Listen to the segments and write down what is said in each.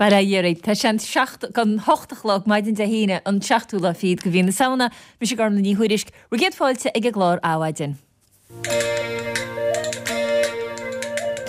Bail ó Dhia oraibh. Tá sé an 7 don 8 a chlog maidin Dé hAoine, an seachtú lá fichead de mhí na Samhna. Mise Gormlaith Ní Thuairisg. Bhur gcéad fáilte ag an gclár Adhmhaidin.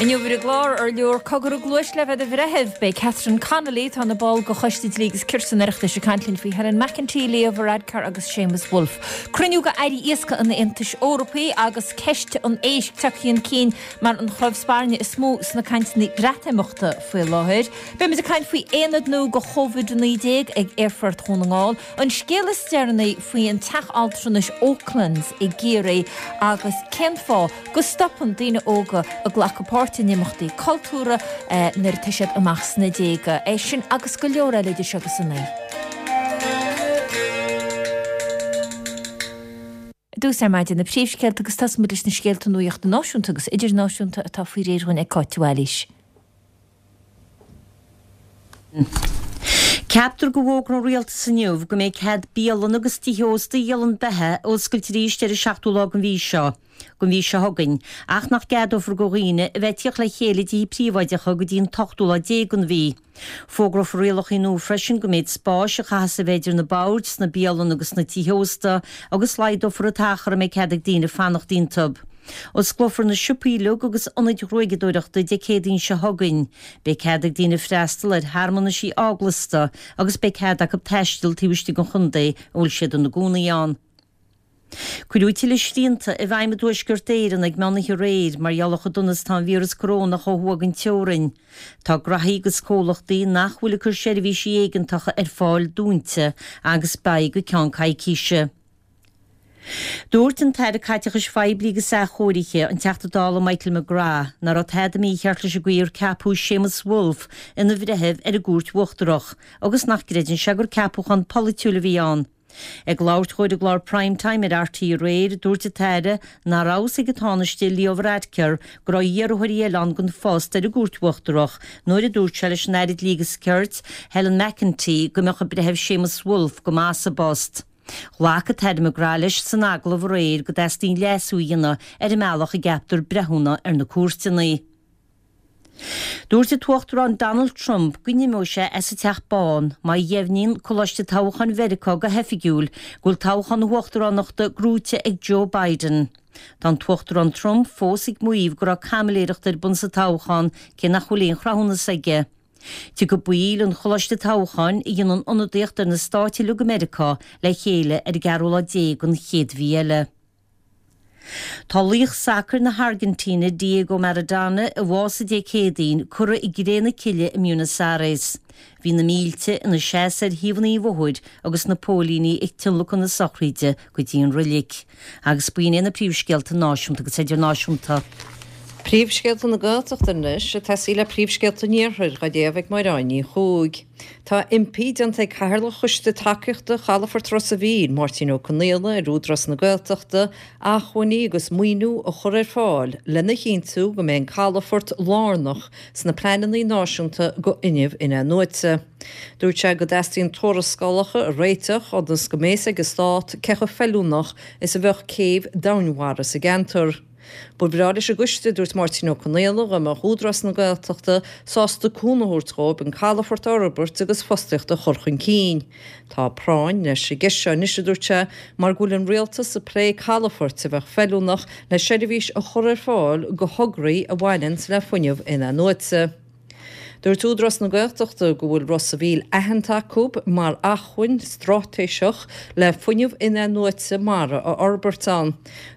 Inniu ar an gclár, ar leor cogar i gcluais le bheith i do bhreitheamh? Beidh Catherine Connolly, atá ina ball de Choiste Dlí agus Cirt an Oireachtais, ag caint linn faoi Helen McEntee, Leo Varadkar agus Séamus Woulfe. Cruinniú de Airí Iascaigh an Aontais Eorpaigh agus ceist an éisc tagtha chun cinn mar an chnámh spairne is mó sna cainteanna Breatimeachta faoi láthair. Beimid ag caint faoi aonad nua do Covid-19 ag Aerfort Dhún na nGall, an scéal is deireanaí faoi an teach altranais Oaklands i gCiarraí agus cén fáth go stopann daoine óga ag glacadh páirte in imeachtaí cultúrtha nuair atá siad amach sna déaga. É sin agus go leor eile idir seo agus a naoi. I dtús ar maidin na príomhscéalta agus tosóimid leis na scéalta nuachta náisiúnta agus idirnáisiúnta atá faoi réir dhúinn ag Cáit de Bhailís. Ceaptar go bhfógróidh an Rialtas inniu go mbeidh cead bialanna agus tithe ósta a dhíolann beatha a oscailt arís ar an seachtú lá den mhí seo den mhí seo chugainn ach nach gceadófar do dhaoine a bheith ag tíocht le chéile i dtithe príobháideacha go dtí an t-ochtú lá déag den mhí. Fógrófar rialacha nua freisin don méid spáis a chaithfeas a bheith idir na boird sna bialanna agus sna tithe ósta agus laghdófar an t-achar a mbeidh cead ag daoine fanacht iontu. Osclófar na siopaí uilig agus ionaid ghruaigeadóireachta Dé Céadaoin seo chugainn. Beidh cead ag daoine freastal ar shearmanaisí eaglasta agus beidh cead acu taisteal taobh istigh den chontae a bhfuil siad ina gcónaí ann. Cuireadh tuilleadh srianta i bhfeidhm i dTuaisceart Éireann ag meánoíche aréir mar gheall ar chomh dona is atá an víreas corónach ó thuaidh den teorainn. Tá graithí agus comhlachtaí nach bhfuil ag cur seirbhísí éigeantacha ar fáil dúnta agus beidh go ceann coicíse. Dúirt an tAire Caiteachais Phoiblí agus Athchóirithe, an Teachta Dála Michael McGrath, nach raibh tada mícheart leis an gcaoi ar ceapadh Séamus Woulfe ina bhreitheamh ar an gCúirt Uachtarach agus nach gcreideann sé gur ceapúchán polaitiúil a bhí ann. Ag labhairt dhó ar an gclár Prime Time ar RTÉ aréir, dúirt an tAire nach raibh a fhios ag an Tánaiste Leo Varadkar go raibh iarrthóirí eile ann don phost ar an gCúirt Uachtarach nuair a dúirt sé leis an Aire Dlí agus Cirt, Helen McEntee, go mbeadh an Breitheamh Séamus Woulfe go maith sa bpost. Ghlac an tAire McGrath leis san agallamh aréir go dteastaíonn leasú a dhéanamh ar an mbealach a gceaptar breithiúna ar na cúirteanna. Dúirt an tUachtarán Donald Trump go n-imeoidh sé as an Teach Bán má dheimhníonn Coláiste Toghcháin Mheiriceá go hoifigiúil go bhfuil toghchán na huachtaránachta gnóite ag Joe Biden. Tá an tUachtarán Trump fós ag maíomh go raibh caimiléireacht ar bun sa toghchán cé nach bhfuil aon chruthúnas aige. Tiocfaidh baill an Choláiste Toghcháin, a dhéanann ionadaíocht ar na stáit uilig i Meiriceá, le chéile ar an gceathrú lá déag den chéad mhí eile. Tá laoch sacair na hAirgintíne, Diego Maradona, a bhásaigh Dé Céadaoin, curtha i gcré na cille i mBuenos Aires. Bhí na mílte ina seasamh ar thaobhanna an bhóthair agus na póilíní ag tionlacan na sochraide go dtí an roilig. Agus b'in iad na príomhscéalta náisiúnta agus idirnáisiúnta. Príomhscéalta na Gaeltachta anois, ag tosaí le príomhscéalta an Iarthair, á léamh ag Máire Ní Chuaig. Tá impí déanta ag Cathaoirleach Choiste Tacaíochta Chalafort Ros a' Mhíl, Máirtín Ó Conaola, ar Údarás na Gaeltachta acmhainní agus maoiniú a chur ar fáil lena chinntiú go mbeidh an calafort lárnach sna pleananna náisiúnta go fhuinneamh in-athnuaite. Dúirt sé go dteastaíonn tuarascálacha a réiteach ionas go mbeidh fhios ag an Stát cé chomh feiliúnach is a bheadh céibh domhainmhara sa gceantar. Ba bhreá leis an gcoiste, a dúirt Máirtín Ó Conaola, dá mbeadh Údarás na Gaeltachta sásta cúnamh a thabhairt dhóibh an calafort a fhorbairt agus fostaíocht a chur chun cinn. Tá práinn leis an gceist seo anois, a dúirt sé, mar go bhfuil an Rialtas ag plé calafoirt a bheadh feiliúnach le seirbhís a chur ar fáil go thograí a bhaineanns le fuinneamh in-athnuaite. Dúirt Údarás na Gaeltachta go bhfuil Ros a' Mhíl aitheanta acu mar acmhainn straitéiseach le fuinneamh in-athnuaite mara a fhorbairt ann.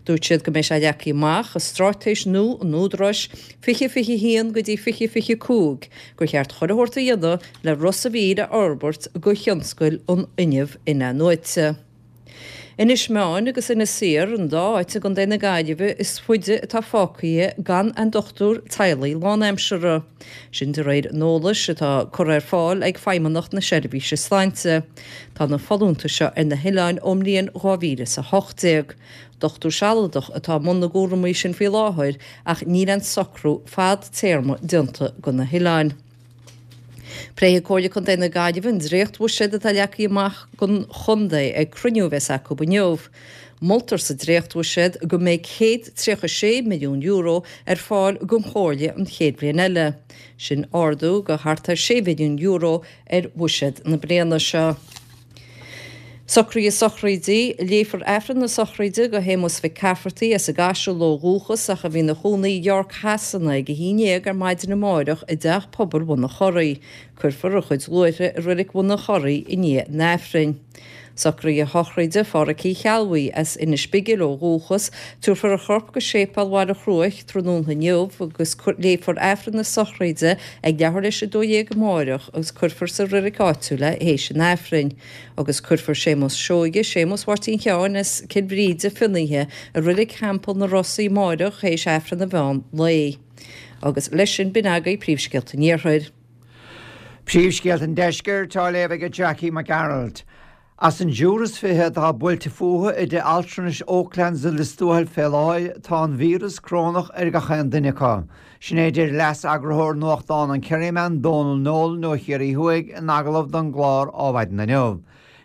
Dúirt siad go mbeidh sé leagtha amach i straitéis nua an Údaráis 2021 go dtí 2025 gur cheart chuile shórt a dhéanamh le Ros a' Mhíl a fhorbairt go thionscail an fhuinnimh in-athnuaite. Inis Meáin agus Inis Oírr an dá áit i gContae na Gaillimhe is faide atá fágtha gan aon dochtúir teaghlaigh lánaimseartha. Sin de réir an eolais atá curtha ar fáil ag Feidhmeannacht na Seirbhíse Sláinte. Tá na folúntais seo ar na hoileáin ón mbliain 2018. Dochtúir sealadach atá i mbun na gcúramaí sin faoi láthair ach níl aon socrú fadtéarma déanta go na hoileáin. Pléifidh Comhairle Contae na Gaillimhe an dréacht-bhuiséad atá leagtha amach don chontae ag cruinniú a bheas acu inniu. Moltar sa dréachtbhuiséad go mbeidh €136 milliún ar fáil don Chomhairle an chéad bhliain eile. Sin ardú de thart ar €6 mhilliún ar bhuiséad na bliana seo. Socruithe sochraidí, Léifear Aifreann na sochraide do Shéamus Mhic Cafferty as an gCaiseal ó dhúchas ach a bhí ina chónaí i York Shasana ag 11 ar maidin amáireach i dTeach Pobail Bhun an Churraigh. Cuirfear a chuid luaithre i Reilig Bhun an Churraigh i ndiaidh an Aifrinn. Socruithe sochraide Phádhraic Uí Cheallbhuí as Inis Bigil ó dhúchas, tabharfar a chorp go Séipéal Bhaile Chruaich tráthnóna inniu agus léifear Aifreann na sochraide ag leathuair théis 12 amáireach agus cuirfear sa reilig áitiúil é théis an Aifrinn. Agus cuirfear Séamus Seoige, Séamus Mháirtín Sheáin as Cill Bhríde, Fionnaithe, i Reilig Theampall na Rosaí amáireach théis Aifreann an mheán lae. Agus leis sin b'in agaibh príomhscéalta an Iarthair. Príomhscéalta an Deiscirt á léamh ag Jackie Mac Gearailt. As an dtriúr is 20 atá buailte fúthu i dtigh altranais Oaklands i Lios Tuathail fé láthair, tá an víreas corónach ar gach aon duine acu. Sin é a deir leas-eagarthóir nuachtán an Kerryman, Dónal Nolan ó Chiarraí Thuaidh, in agallamh don gclár Ádhmhaidin inniu.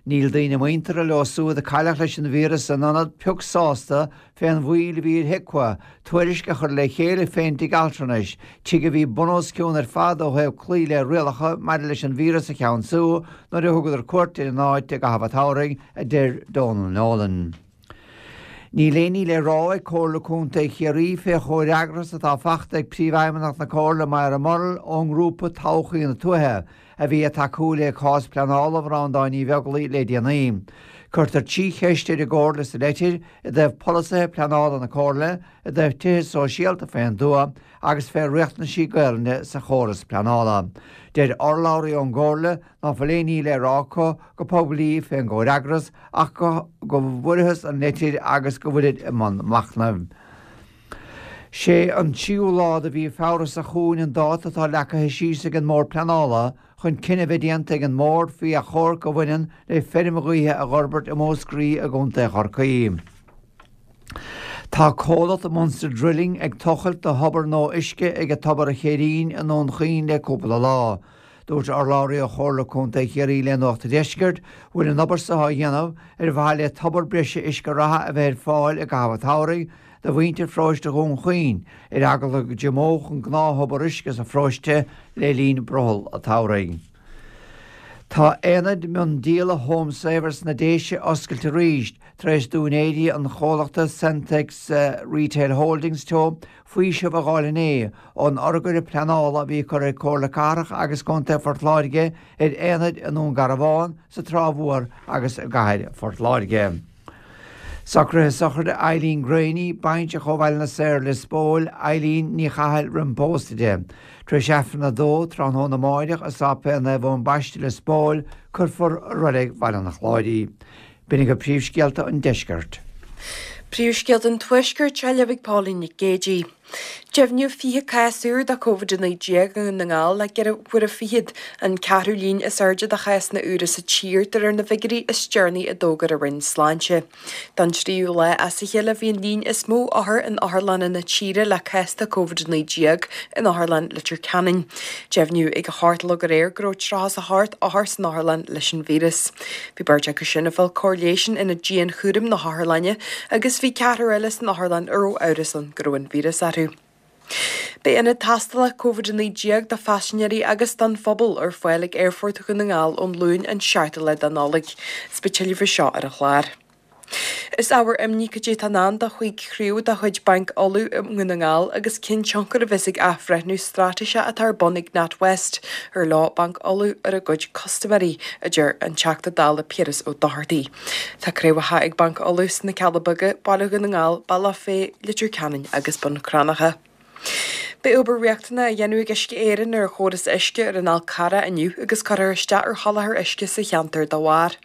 Níl daoine muinteartha leo súd a cailleadh leis an víreas san ionad pioc sásta fén mhoill a bhí ar HIQA tuairisc a chur le chéile fén dtigh altranais, tigh a bhí bunoscionn ar fad ó thaobh cloí le rialacha maidir leis an víreas a cheansú nuair a thugadar cuairt ar an áit i gcaitheamh an tsamhraidh, a deir Dónal Nolan. Níl aon ní le rá ag Comhairle Contae Chiarraí fé chomhfhreagras atá fachta ag Príomhfheidhmeannach na Comhairle Moira Murrell ón ngrúpa Todhchaí na Tuaithe a bhí ag tacú le cás pleanála Bhreandáin Uí Bheaglaoich le déanaí. Cuirtear 3 cheist ar an gComhairle sa leitir i dtaobh polasaithe pleanála na Comhairle, i dtaobh tithe sóisialta fén dtuath agus fé riachtanaisí Gaelainne sa chóras pleanála. Deir urlabhraí ón gComhairle ná fuil aon ní le rá acu go poiblí fén gcomhfhreagras ach go bhfuarthas an leitir agus go bhfuilid i mbun machnaimh. Sé an tríú lá de mhí Feabhra seo chugainn an dáta atá leagtha síos ag an mBord Pleanála chun cinneadh a bheith déanta ag an mBord faoi achomharc a bhaineann le feirm ghaoithe a dh'fhorbairt i Múscraí i gContae Chorcaí. Tá comhlacht Munster Drilling ag tochailt do thobar nua uisce ag Tobar a' Chéirín i nDún Chaoin le cúpla lá. Dúirt urlabhraí ó Chomhairle Contae Chiarraí le Nuacht an Deiscirt go bhfuil an obair seo á dhéanamh ar mhaithe le tobar breise uisce reatha a bheith ar fáil i gcaitheamh an tsamhraidh do mhuintir pharóiste Dhún Chaoin ar eagla go dtriomódh an gnáth-thobar uisce sa pharóiste le linn brothall an tsamhraidh. Tá aonad miondíola Home Saver sna Déise oscailte arís tar éis d'úinéirí an chomhlachta Sentex Retail Holdings Teo faoiseamh a dh'fháil inné ón urghaire pleanála a bhí curtha ag Comhairle Cathrach agus Contae Phort Láirge ar aonaid i nDún Garbhán, sa Trá Mhór agus i gcathair Phort Láirge. Socruithe sochraide Eileen Graney, bainseach ó Bhaile na Saor, Lios Póil, Eileen Ní Chathail roim pósadh di. Tar éis Aifreann a 2 tráthnóna amáireach i Sáipéal Naomh Eoin Baiste, Lios Póil, cuirfear i Reilig Bhaile an Chláir í. B'in agaibh príomhscéalta an deiscirt. Príomhscéalta an Tuaiscirt á léamh ag Pauline Nic Géidigh. Deimhníodh 20 cás úr de Covid-19 i nDún na nGall le ceithre huaire fichead, an ceathrú líon is airde de chásanna úra sa tír de réir na bhfigiúirí is deireanaí a d'fhógair an Roinn Sláinte. Don tríú lá as a chéile bhí an líon is mó othar in otharlanna na tíre le cás de Covid-19 in Otharlann Leitir Ceanainn. Deimhníodh ag a hocht a chlog aréir go raibh 38 othar san otharlann leis an víreas. Bhí beirt acu sin ag fáil cóir leighis in ionad dianchúraim na hotharlainne agus bhí ceathrar eile san otharlann a raibh amhras ann go raibh an víreas orthu. Beidh ionad tástála Covid-19 do phaisinéirí agus don phobal ar fáil ag Aerfort Dhún na nGall ón Luan an 7ú lá de Nollaig. Is beidh tuilleadh faoi seo ar an chlár. Is ábhar imní cad é atá i ndán do chúig chraobh de chuid Banc Uladh i nDún na nGall agus cén tionchar a bheas ag athbhreithniú straitéiseach atá ar bun ag NatWest ar leo Banc Uladh ar a gcuid custaiméirí, a deir an Teachta Dála Piaras Ó Dochartaigh. Tá craobhacha ag Banc Uladh sna Cealla Beaga, Baile Dhún na nGall, Bealach Féich, Leitir Ceanainn agus Bun Cranncha. Beidh obair riachtanach á dhéanamh ag Uisce Éireann ar chóras uisce ar an Fhál Carrach inniu agus cuirfear isteach ar sholáthar uisce sa cheantar dá bharr.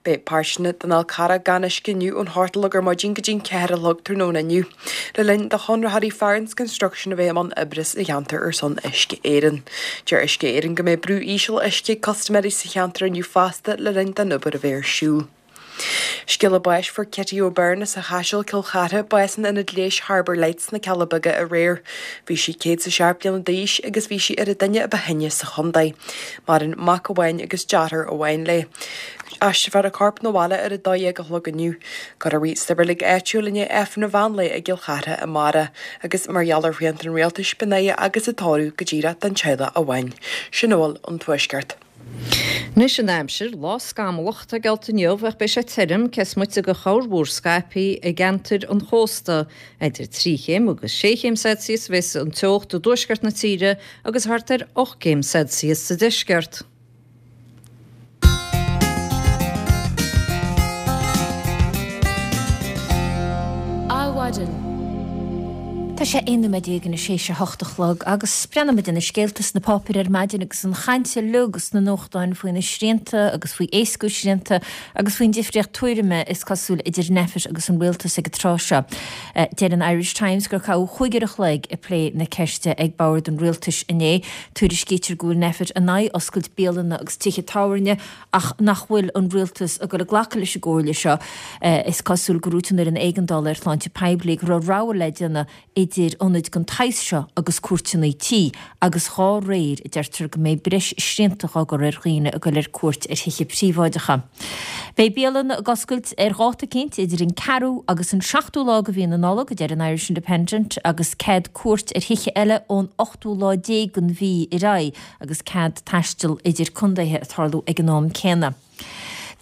Beidh páirteanna den Fhál Carrach gan uisce inniu ón hocht a chlog ar maidin go dtí an 4 a chlog tráthnóna inniu, le linn do chonraitheoirí Farrans Construction a bheith i mbun oibre sa cheantar ar son Uisce Éireann. Deir Uisce Éireann go mbeidh brú íseal uisce ag custaiméirí sa cheantar inniu fosta le linn don obair a bheith ar siúl. Scéala báis Fuair Kitty O'Byrne as an Chaiseal, Cill Chartha, bás in Ionad Leighis Harbour Lights sna Cealla Beaga aréir. Bhí sí 107 bliana d'aois agus bhí sí ar an duine a ba shine sa chontae. Maireann mac amháin agus deartháir amháin léi. Aistreofar a corp 'na bhaile ar a 12 a chlog inniu. Cuirfear í sa reilig áitiúil i ndiaidh Aifreann an mheán lae i gCill Chartha amárach agus mar gheall ar shrianta an rialtais beidh an fhaire agus an tórramh go díreach don teaghlach amháin. Sin a bhfuil ón Tuaisceart. Anois an aimsir, lá scamallach atá geallta inniu ach beidh sé tirim, cé is moite de chorrmhúr scaipthe i gceantair an chósta. Idir 3 chéim agus 6 chéim Celsius a bheas an teocht i dtuaisceart na tíre agus thart ar 8 gcéim Celsius sa deisceart. Adhmhaidin. Tá sé 11 nóiméad anois théis a hocht a chlog agus breathnóimid ar na scéalta sna páipéir ar maidin agus an chaint uilig sna nuachtáin faoi na srianta agus faoi éascú srianta agus faoin difríocht tuairime is cosúil idir Nphet agus an rialtas ag an tráth seo. Deir an Irish Times gur caitheadh chúig uair a chloig ag plé na ceiste ag bord an rialtais inné. Tuairiscítear go bhfuil Nphet in aghaidh oscailt bialanna agus tithe tábhairne ach nach bhfuil an rialtas ag dul ag glacadh leis an gcomhairle seo. Is cosúil gur dhúirt an Fhoireann Éigeandála ar Shláinte Poiblí go raibh rogha le déanamh idir ionaid den tsaghas seo agus cuairteanna tí agus dhá réir, a deirtear go mbeidh breis srianta á gcur ar dhaoine ag dul ar cuairt ar thithe príobháideacha. Beidh bialanna ag oscailt ar dháta eicínt idir an ceathrú agus an seachtú lá de mhí na Nollag, a deir an Irish Independent, agus cead cuairt ar thithe eile ón ochtú lá déag den mhí ar aghaidh agus cead taisteal idir contaetha ag tarlú ag an am céanna.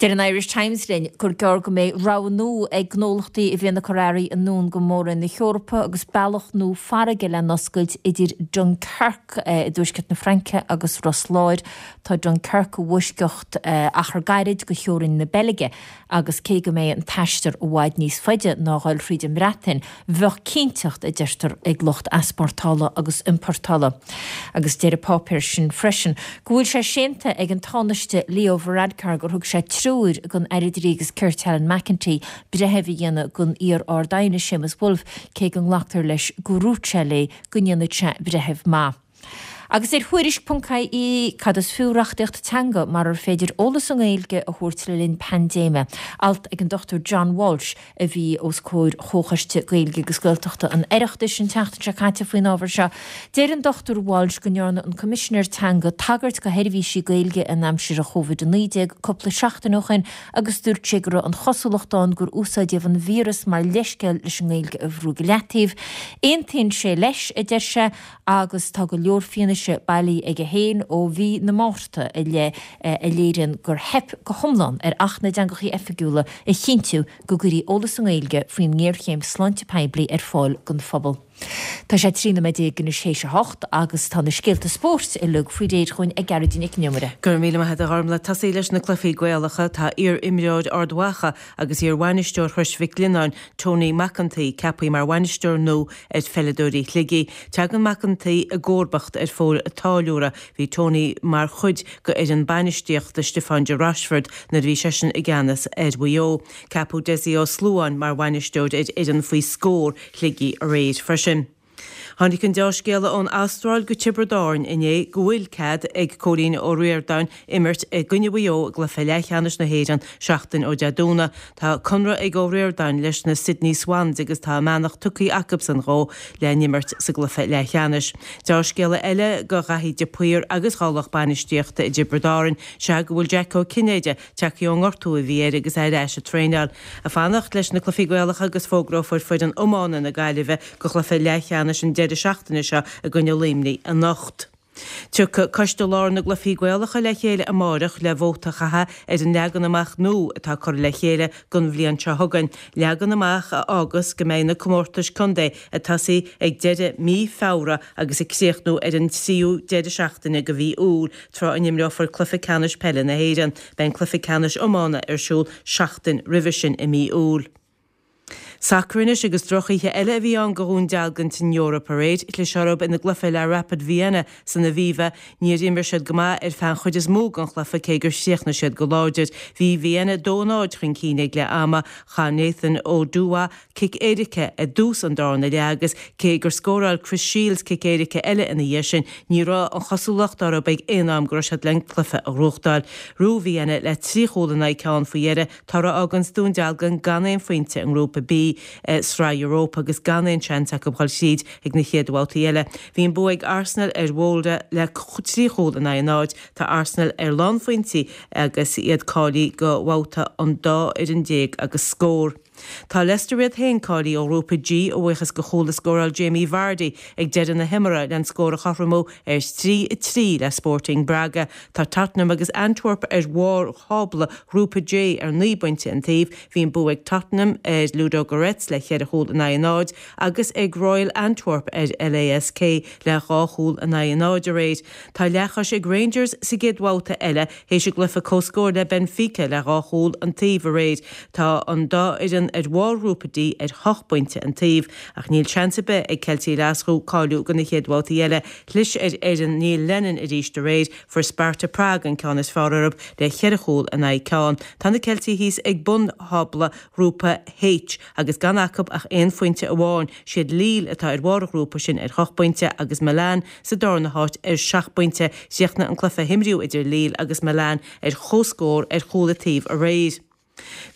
Deir an Irish Times linn gur gearr go mbeidh rogha nua ag gnólachtaí a bhíonn ag cur earraí anonn go Mór-Roinn na hEorpa agus bealach nua farraige le n-oscailt idir Dunkirk i dtuaisceart na Fraince agus Ros Láir. Tá Dunkirk i bhfoisceacht achar gairid de theorainn na Beilge agus cé go mbeidh an t-aistear i bhfad níos faide ná a dhul thríd an mBreatain, bheadh cinnteacht, a deirtear, ag lucht easpórtála agus iompórtála. Agus deir an páipéar sin freisin go bhfuil sé séanta ag an Tánaiste Leo Varadkar gur thug sé treoir don Aire Dlí agus Cirt Helen McEntee breitheamh a dhéanamh den iar-Ard-Aighne Séamus Woulfe cé go nglactar leis gur dhúirt sé léi go ndéanfadh sé breitheamh maith. Agus ar Thuairisc ponc ie, cad is fiú reachtaíocht teanga marar féidir eolas i nGaeilge a thabhairt le linn paindéime? Alt ag an Dr John Walsh a bhí os comhair Chomhchoiste Gaeilge agus Gaeltachta an Oireachtais an tseachtain seo caite faoin ábhar seo. Deir an Dr Walsh go ndearna an Coimisinéir Teanga tagairt do sheirbhísí Gaeilge in aimsir an Chóivid-19 cúpla seachtain ó shin agus dúirt sé go raibh an chosúlacht ann gur úsáideadh an víreas mar leithscéal leis an nGaeilge a bhrú go leataobh. Aontaíonn sé leis, a deir sé, agus tá go leor fianaise bailithe aige féin ó mhí na Márta i leith a léiríonn gur theip go hiomlán ar Acht na dTeangacha Oifigiúla a chinntiú go gcuirfí eolas i nGaeilge faoin ngéarchéim sláinte poiblí ar fáil don phobal. Tá sé 13 nóiméad anois théis a hocht agus tá na scéalta spóirt uilig faoi réir chugainn ag Gearóidín Nic Con Iomaire. Go raibh míle maith agat a Ghormlaith. Tosaí leis na cluichí Gaelacha, tá iar-imreoir Ard Mhacha agus iar-bhainisteoir Chrois Mhic Lionnáin, Tony Mac an tSaoi, ceaptha mar bhainisteoir nua ar pheileadóirí Shligigh. Tagann Mac an tSaoi i gcomharbacht ar Phól a' Táilliúra. Bhí Tony mar chuid de fhoireann bainistíochta Stiofán de Rochefort nuair a bhí seisean i gceannas ar Mhaigh Eo. Ceapadh Dessie Ó Sluáin mar bhainisteoir ar fhoireann faoi scór Shligigh aréir freisin. Tháinig an deá-scéala ón Astráil go Tiobraid Árann inné go bhfuil cead ag Cóilín Ó Ríordáin imirt i gcoinne Mhaigh Eo i gcluiche leathcheannais na hÉireann seachtain ó Dé Domhnaigh. Tá conradh ag Ó Ríordáin leis na Sydney Swans agus tá a mbeannacht tugtha acubsan dhó le n-imirt sa gcluiche leathcheannais. Deá-scéala eile do Dhaithí de Paor agus dhá lucht bainistíochta i dTiobraid Árann sea go bhfuil Jack Ó Cinnéide Tagtha ón ngortú a bhí air agus é ar ais ag traenáil. Ag fanacht leis na cluichí Gaelacha agus fógrófar foireann iomána na Gaillimhe do chluiche leathcheannais an deireadh seachtaine seo i gcoinne Luimnigh anocht. Tiocfaidh Coiste Láir na gCluichí Gaelacha le chéile amárach le vóta a chaitheamh ar an leagan amach nua atá curtha le chéile don bhliain seo chugainn, leagan amach a fhágas go mbeidh na comórtais contae ag tosaí ag deireadh mí Feabhra agus ag críochnú ar an tríú deireadh seachtaine de mhí Iúil. Tráth a n-imreofar cluiche ceannais peile na hÉireann, beidh an cluiche ceannais iomána ar siúl seachtain roimhe sin i mí Iúil. Sacar anois agus drochoíche eile a bhí ann go Dhún Dealgan san Eoraip aréir. Chlis orthu ina gcluiche le Rapid Vienna san Aviva. Níor imir siad go maith ar feadh an chuid is mó den chluiche cé gur chríochnaigh siad go láidir. Bhí Vienna 2-0 chun cinn ag leath ama. Chaith Nathan Oduwa cic éirice i dtús an darna leath agus cé gur scóráil Chris Shields cic éirice eile ina dhiaidh sin, ní raibh an chosúlacht orthu ag aon am go raibh siad len cluiche a ghnóthachtáil. Ghnóthaigh Vienna le 3 chúl in aghaidh ceann faoi dheireadh. Toradh a fháganns Dún Dealgan gan aon phointe i nGrúpa B i Sraith Europa agus gan aon seans acu dhul thríd ag na chéad bhabhtaí eile. Bhí an bua ag Arsenal ar Mholde le 3 chúl in aghaidh a 0. Tá Arsenal ar lánphointí agus iad cáilithe go bhabhta an dá fhoireann déag agus scór. Tá Leicester iad féin cáilithe ó Ghrúpa G a bhuíochas go chúl a scóráil Jamie Vardy ag deireadh na himeartha len scór a chothromú ar 3, 3 le Sporting Braga. Tá Tottenham agus Antwerp ar bharr thábla Ghrúpa J ar 9 bpointe an taobh. Bhí an bua ag Tottenham ar Ludogorets le cheithre chúl in aghaidh a 0 agus ag Royal Antwerp ar LASK le dhá chúl in aghaidh a 0 aréir. Tá leathchois ag Rangers sa gcéad bhabhta eile théis a gcluiche comhscóir le Benfica le dhá chúl an taobh aréir. Tá an dá fhoireann ar bharr Ghrúpa D ar hocht bpointe an taobh. Ach níl seans ar bith ag Ceiltigh Ghlaschú cáiliú go na chéad bhabhtaí eile. Chlis ar fhoireann Neil Lennon arís aréir. Fuair Sparta Prague an ceann is fearr orthu le cheithre chúl in aghaidh ceann. Tá na Ceiltigh thíos ag bun thábla Ghrúpa H agus gan acu ach aon phointe amháin. Siad Lille atá ar bharr an ghrúpa sin ar hocht bpointe agus Milan sa darna háit ar seacht bpointe. Chríochnaigh an cluiche a himríodh idir Lille agus Milan ar comhscór ar chúl an taobh aréir.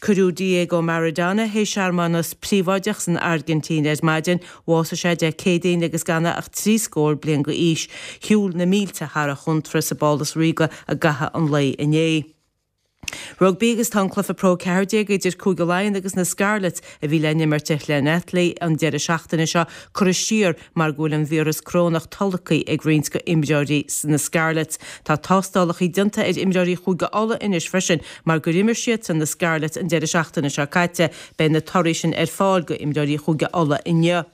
Cuireadh Diego Maradona théis searmanas príobháideach san Airgintín ar maidin. Bhásaigh sé Dé Céadaoin agus gan é ach 3 scór bliain d'aois. Shiúil na mílte thar a chontráth sa bPálas Ríoga i gcaitheamh an lae inné. Rugbaí agus tá an cluiche Pro 14 idir Cúige Laighean agus na Scarlets a bhí le n-imirt i Llanelli an deireadh seachtaine seo curtha siar mar go bhfuil an víreas corónach tolgtha ag roinnt de imreoirí na Scarlets. Tá tástálacha déanta ar imreoirí Chúige Uladh anois freisin mar gur imir siadsan na Scarlets an deireadh seachtaine seo caite. Beidh na torthaí sin ar fáil go imreoirí Chúige Uladh inniu.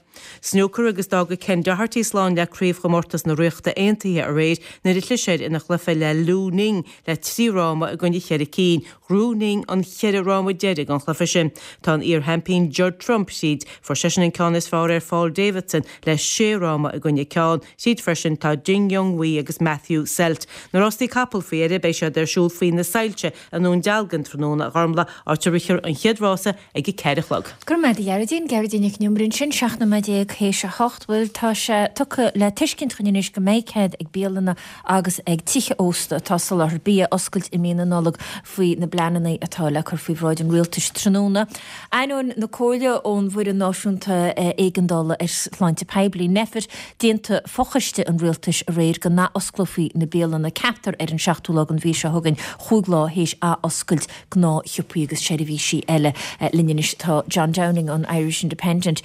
Snúcar agus d'fhága Ken Doherty slán le Craobhchomórtas na Ríochta Aontaithe aréir nuair a chlis air ina chluiche le Lu Ning le 3 fhráma i gcoinne cheithre cinn. Ghnóthaigh Ning an cheithre fhráma deiridh den chluiche sin. Tá an iar-sheaimpín Judd Trump thríd. Fuair seisean an ceann is fearr ar Paul Davidson le sé fhráma i gcoinne ceann. Thríd freisin tá Ding Junhui agus Matthew Selt. Na rástaí capall faoi dheireadh beidh siad ar siúl faoi na soilse i nDún Dealgan tráthnóna a Ghormlaith, áit a rithfear an chéad rása ag a 4 a chlog. Go raibh maith agat a Ghearóidín. Gearóidín Nic an Iomaire ansin, 17 nóiméad théis a hocht. Bhuel, tá sé tugtha le tuiscint chugainn anois go mbeidh cead ag bialanna agus ag tithe ósta atá ag soláthar bia oscailt i mí na Nollag faoi na bpleananna atá le cur faoi bhráid an rialtais tráthnóna. Ainneoin na comhairle ón bhFoireann Náisiúnta Éigeandála ar Shláinte Poiblí, Nphet, d'aontaigh fochoiste an rialtais aréir go n-athosclófaí na bialanna, ceaptar ar an seachtú lá den mhí seo chugainn, chúig lá théis athoscailt gnáthshiopaí agus seirbhísí eile. Linn anois tá John Downing ón Irish Independent.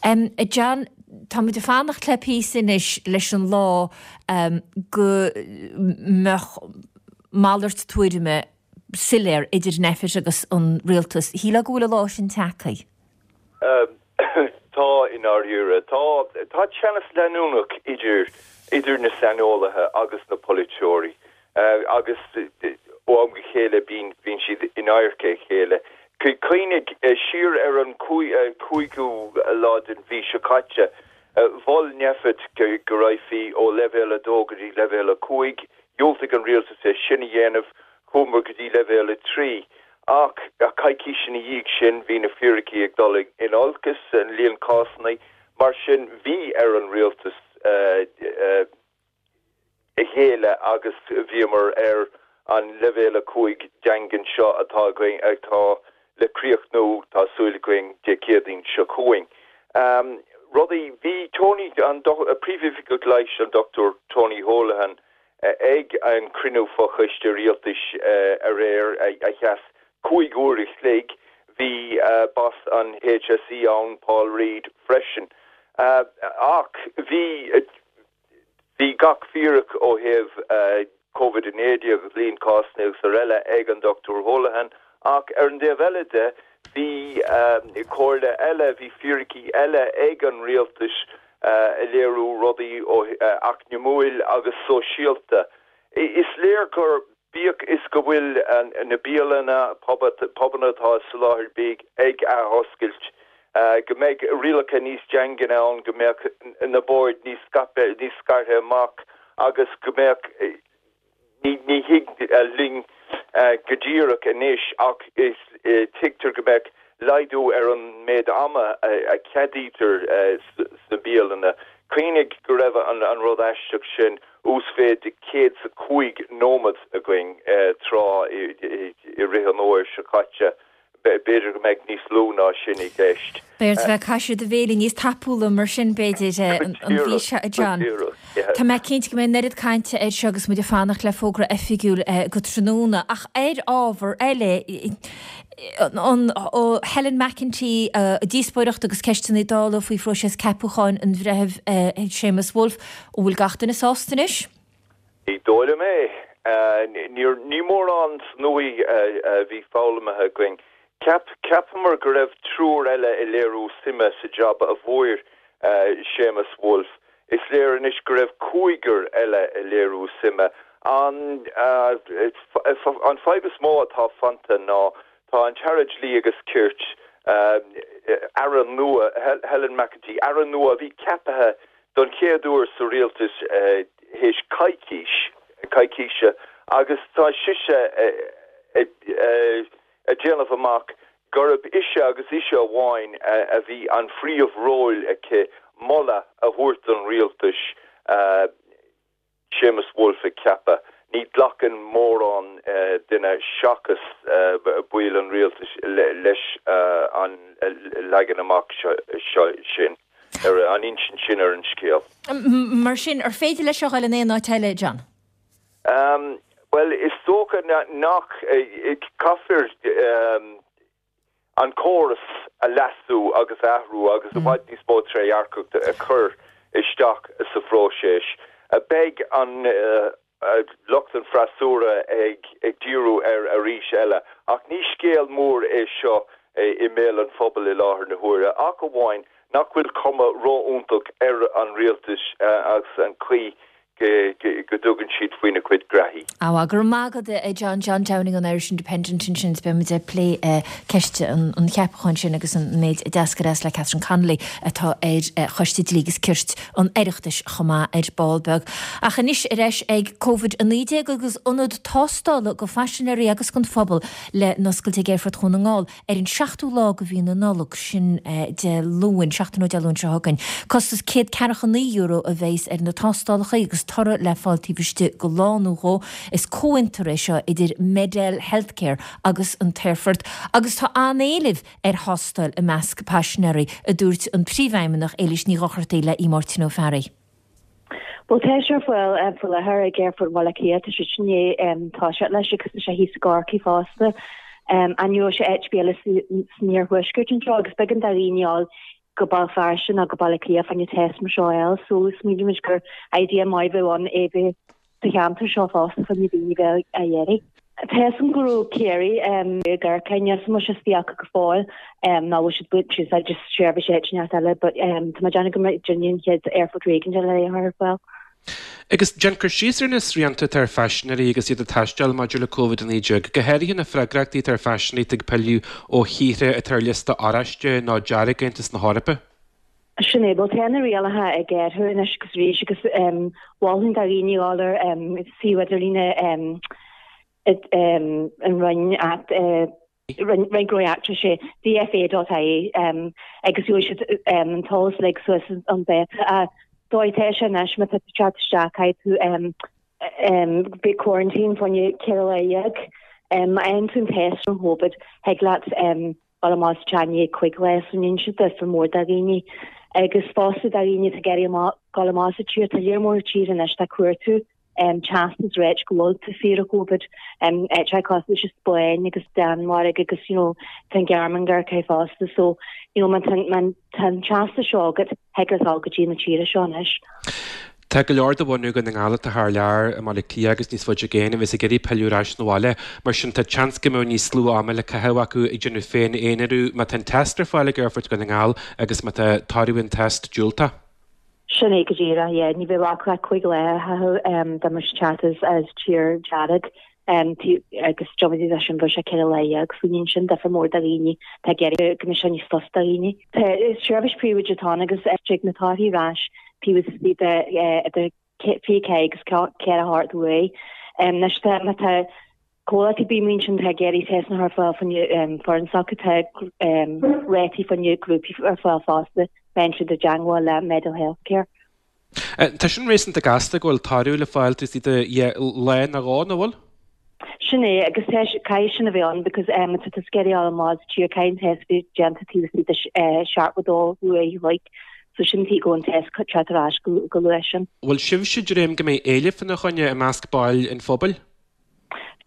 A John, tá muid ag fanacht le píosa anois leis an lá go mbeadh malairt tuairime soiléir idir Nphet agus an rialtas. Shílfeá go bhfuil an lá sin tagtha? Tá, i ndáiríre. Tá, tá teannas leanúnach idir, idir na saineolaithe agus na polaiteoirí agus ó am go chéile bíonn, bíonn siad in adharca a chéile. Cuimhnigh siar ar an cúigiú lá den mhí seo caite, mhol Nphet go raghfaí ó leibhéal 2 go dtí leibhéal 5. Dhiúltaigh an rialtas é sin a dhéanamh. Chuamar go dtí leibhéal 3. Ach coicís ina dhiaidh sin bhí na fíricí ag dul in olcas, an líon cásanna, mar sin bhí ar an rialtas géilleadh agus bhíomar ar an leibhéal 5 daingean seo atá againn, atá le críochnú, tá súil againn, Dé Céadaoin seo chugainn. Rudaí, bhí Tony, an Príomhoifigeach Leighis, an Dr Tony Holohan, Ag an cruinniú fochoiste rialtais aréir, a sheas 5 uair a chloig, bhí boss an HSE ann, Paul Reid, freisin. Ach bhí bhí gach fíric ó thaobh Covid-19 agus líon cásanna agus araile ag an Dr Holohan ach ar an dtaobh eile de, bhí comhairle eile, bhí fíricí eile ag an rialtas a léiriú rudaí ó eacnamúil agus sóisialta. Is léir gur, bíodh is go bhfuil na bialanna, pubanna atá ag soláthar bídh ag athoscailt. Go mbeidh rialacha níos daingne ann, go mbeadh na boird níos scaipthe, níos scartha amach agus go mbeadh, ní thig linn go díreach anois ach tuigtear go mbeadh laghdú ar an méid ama a cheadaítear sna bialanna. Cuimhnigh go raibh an rud aisteach sin, uasmhéid de 105 nóiméad againn tráth i rith an fhómhair seo caite. B'fhéidir go mbeidh níos lú ná sin i gceist. Beidh ort a bheith ag caitheamh do bhéilí níos tapúla mar sin, b'fhéidir, an mhí seo, a John. Tá mé cinnte go mbeidh an oiread cainte air seo agus muid ag fanacht le fógra oifigiúil go tráthnóna. Ach ar ábhar eile, an Helen McEntee, díospóireacht agus ceisteanna Dála faoi phróiseas ceapúcháin an Bhreithimh Séamus Woulfe, an bhfuil gach duine sásta anois? Ní dóigh liom é. Níor, ní mórán san uaidh a bhí foghlamtha againn. Cheap, cheapamar go raibh triúr eile ag léiriú suime sa jab a bhfuair Séamus Woulfe. Is léir anois go raibh cúigear eile ag léiriú suime. An, an fadhb is mó atá fanta ná tá an tAire Dlí agus Cirt, Aire nua, Helen McEntee, Aire nua a bhí ceaptha don chéad uair sa rialtas théis coicís, coicíse agus tá sise ag déanamh amach gurb ise agus ise amháin a bhí an phríomh-ról aici moladh a thabhairt don rialtas Séamus Woulfe a cheapadh. Ní ghlacann mórán duine seachas baill an rialtais leis an leagan amach seo sin, ar an insint sin ar an scéal. Mar sin, ar féidir leis seo a dhul in aon áit eile, John? Bhuel, is dócha nach. Caithfear. an córas a leasú agus a athrú agus i bhfad níos mó trédhearcachta a chur isteach sa phróiseas. Beidh an lucht an freasúra ag díriú air arís eile ach ní scéal mór é seo i mbéal an phobail i láthair na huaire ach amháin nach bhfuil cuma ró-iontach ar an rialtas agus an chaoi go dtugann siad faoina cuid graithí. Á, go raibh maith agat a John, John Downing ón Irish Independent ansin is beidh muid ag plé ceist an cheapacháin sin agus an méid a d'eascair as le Catherine Connolly atá ar Choiste Dlí agus Cirt an Oireachtais chomh maith ar ball beag. Ach anois ar ais ag Covid-19 agus ionad tástála go phaisinéirí agus don phobal le n-oscailt ag Aerfort Dhún na nGall. ar an seachtú lá de mhí na Nollag, sin Dé Luain, seachtain ó Dé Luain seo chugainn. Costas €149 a bheas ar na tástálacha agus toradh le fáil taobh istigh de lá nó dhó. Is comhfhiontar é seo idir Medel Healthcare agus an t-aerfort agus tá an-éileamh ar thástáil i measc paisinéirí, a dúirt an Príomhfheidhmeannach Éilís Ní Dhochartaigh le Máirtín Ó Fearraigh. Bhuel tá sé ar fáil faoi láthair ag Aerfort Bhaile Átha Cliath, tá siad i ndiaidh toiseacht leis agus tá sé thíos i gCorcaigh fosta. Ní raibh sé áit ar bith eile san iarthuaisceart anseo agus b'éigean do dhaoine dul go Béal Feirste nó go Baile Átha Cliath fá choinne test mar seo a fháil so smaoinímid gur idea maith a bheadh ann é bheith sa cheantar seo fosta fá choinne daoine bheith á iarraidh. Tá a fhios agam go raibh Ciarraí i gCorcaigh, níl a fhios agam an bhfuil sé istigh acu go fóill nó bhfuil siad ag baint úsáid as seirbhís áit inteacht eile but tá mé ag déanamh go mbeidh duine an chéad aerfort réigiúnach eile a chur ar fáil. Agus déan cur síos ar na srianta atá ar phaisinéirí agus iad ag taisteal maidir le Covid-19, go háirithe na freagrachtaí atá ar phaisinéirí atá ag pilleadh ó thíortha atá ar liosta oráiste nó dearg Aontas na hEorpa. Sin é, bhuel tá na rialacha ag athrú anois agus arís agus mholfainn do dhaoine dhul ar suíomh idirlíne an Roinn at Roinn Gnóthaí Eachtracha, DFA.ie agus gheobhaidh siad an t-eolas uilig suas chun dáta. An dóigh atá sé anois má tá tú ag teacht isteach caithfidh tú bheith quarantine fá choinne 14 lá. Má fhaigheann tú an test don Chóivid thig leat dul amach as tír i ndiaidh 5 lá so níl sé difear mór do dhaoine. Agus fosta do dhaoine atá ag iarraidh amach, dul amach as an tír, tá lear mór tíortha anois atá ag cuartú teastas ag ráit go bhfuil tú saor ó Covid, áiteacha cosúil leis an Spáinn agus Danmhairg agus you know tá an Ghearmáin gar aici fosta so you know má tá má tá an teastas seo agat thig leat dul go dtí na tíortha seo anois. Tá go leor de bhunú Dhún na nGall atá thar lear, i mBaile Átha Cliath agus níos faide i gcéin, a bheas ag iarraidh pilleadh ar ais 'na bhaile. Mar sin, tá seans go mbeadh níos lú ama le caitheamh acu ag déanamh féin-aonarú má tá an test ar fáil ag Aerfort Dhún na nGall agus má tá toradh an test diúltach. Sin é go díreach, yeah. Ní bheadh acu ach 5 lá a chaitheamh dá mbeadh siad ag teacht as tír dearg. Agus déarfaidh muid sin bheadh sé 14 lá so ní sin difear mór do dhaoine atá ag iarraidh go mbeidh sé níos fusa do dhaoine. Tá seirbhís príobháideach atá ann agus tig na torthaí ar ais taobh istigh de idir 24 agus 48 uair. Anois tá má tá comhlachtaí ar bith amuigh ansin atá ag iarraidh teisteanna a chur ar fáil fá choinne foireann s'acu tá rátaí fá choinne grúpaí ar fáil fosta má théann siad i dteangmháil le Medel Healthcare. Tá sin réasúnta gasta go bhfuil toradh le fáil taobh istigh de lá nó dhó, nach bhfuil? Sin é, agus tá, caithfidh sin a bheith ann because má tá tú ag iarraidh a fháil amach as tír, caithfidh an test bheith déanta taobh istigh de 72 uair a chloig, so sin tuige go bhfuil an test teacht ar ais go luath sin. Bhfuil sibhse ag dréim go mbeidh éileamh fána choinne i measc baill an phobail?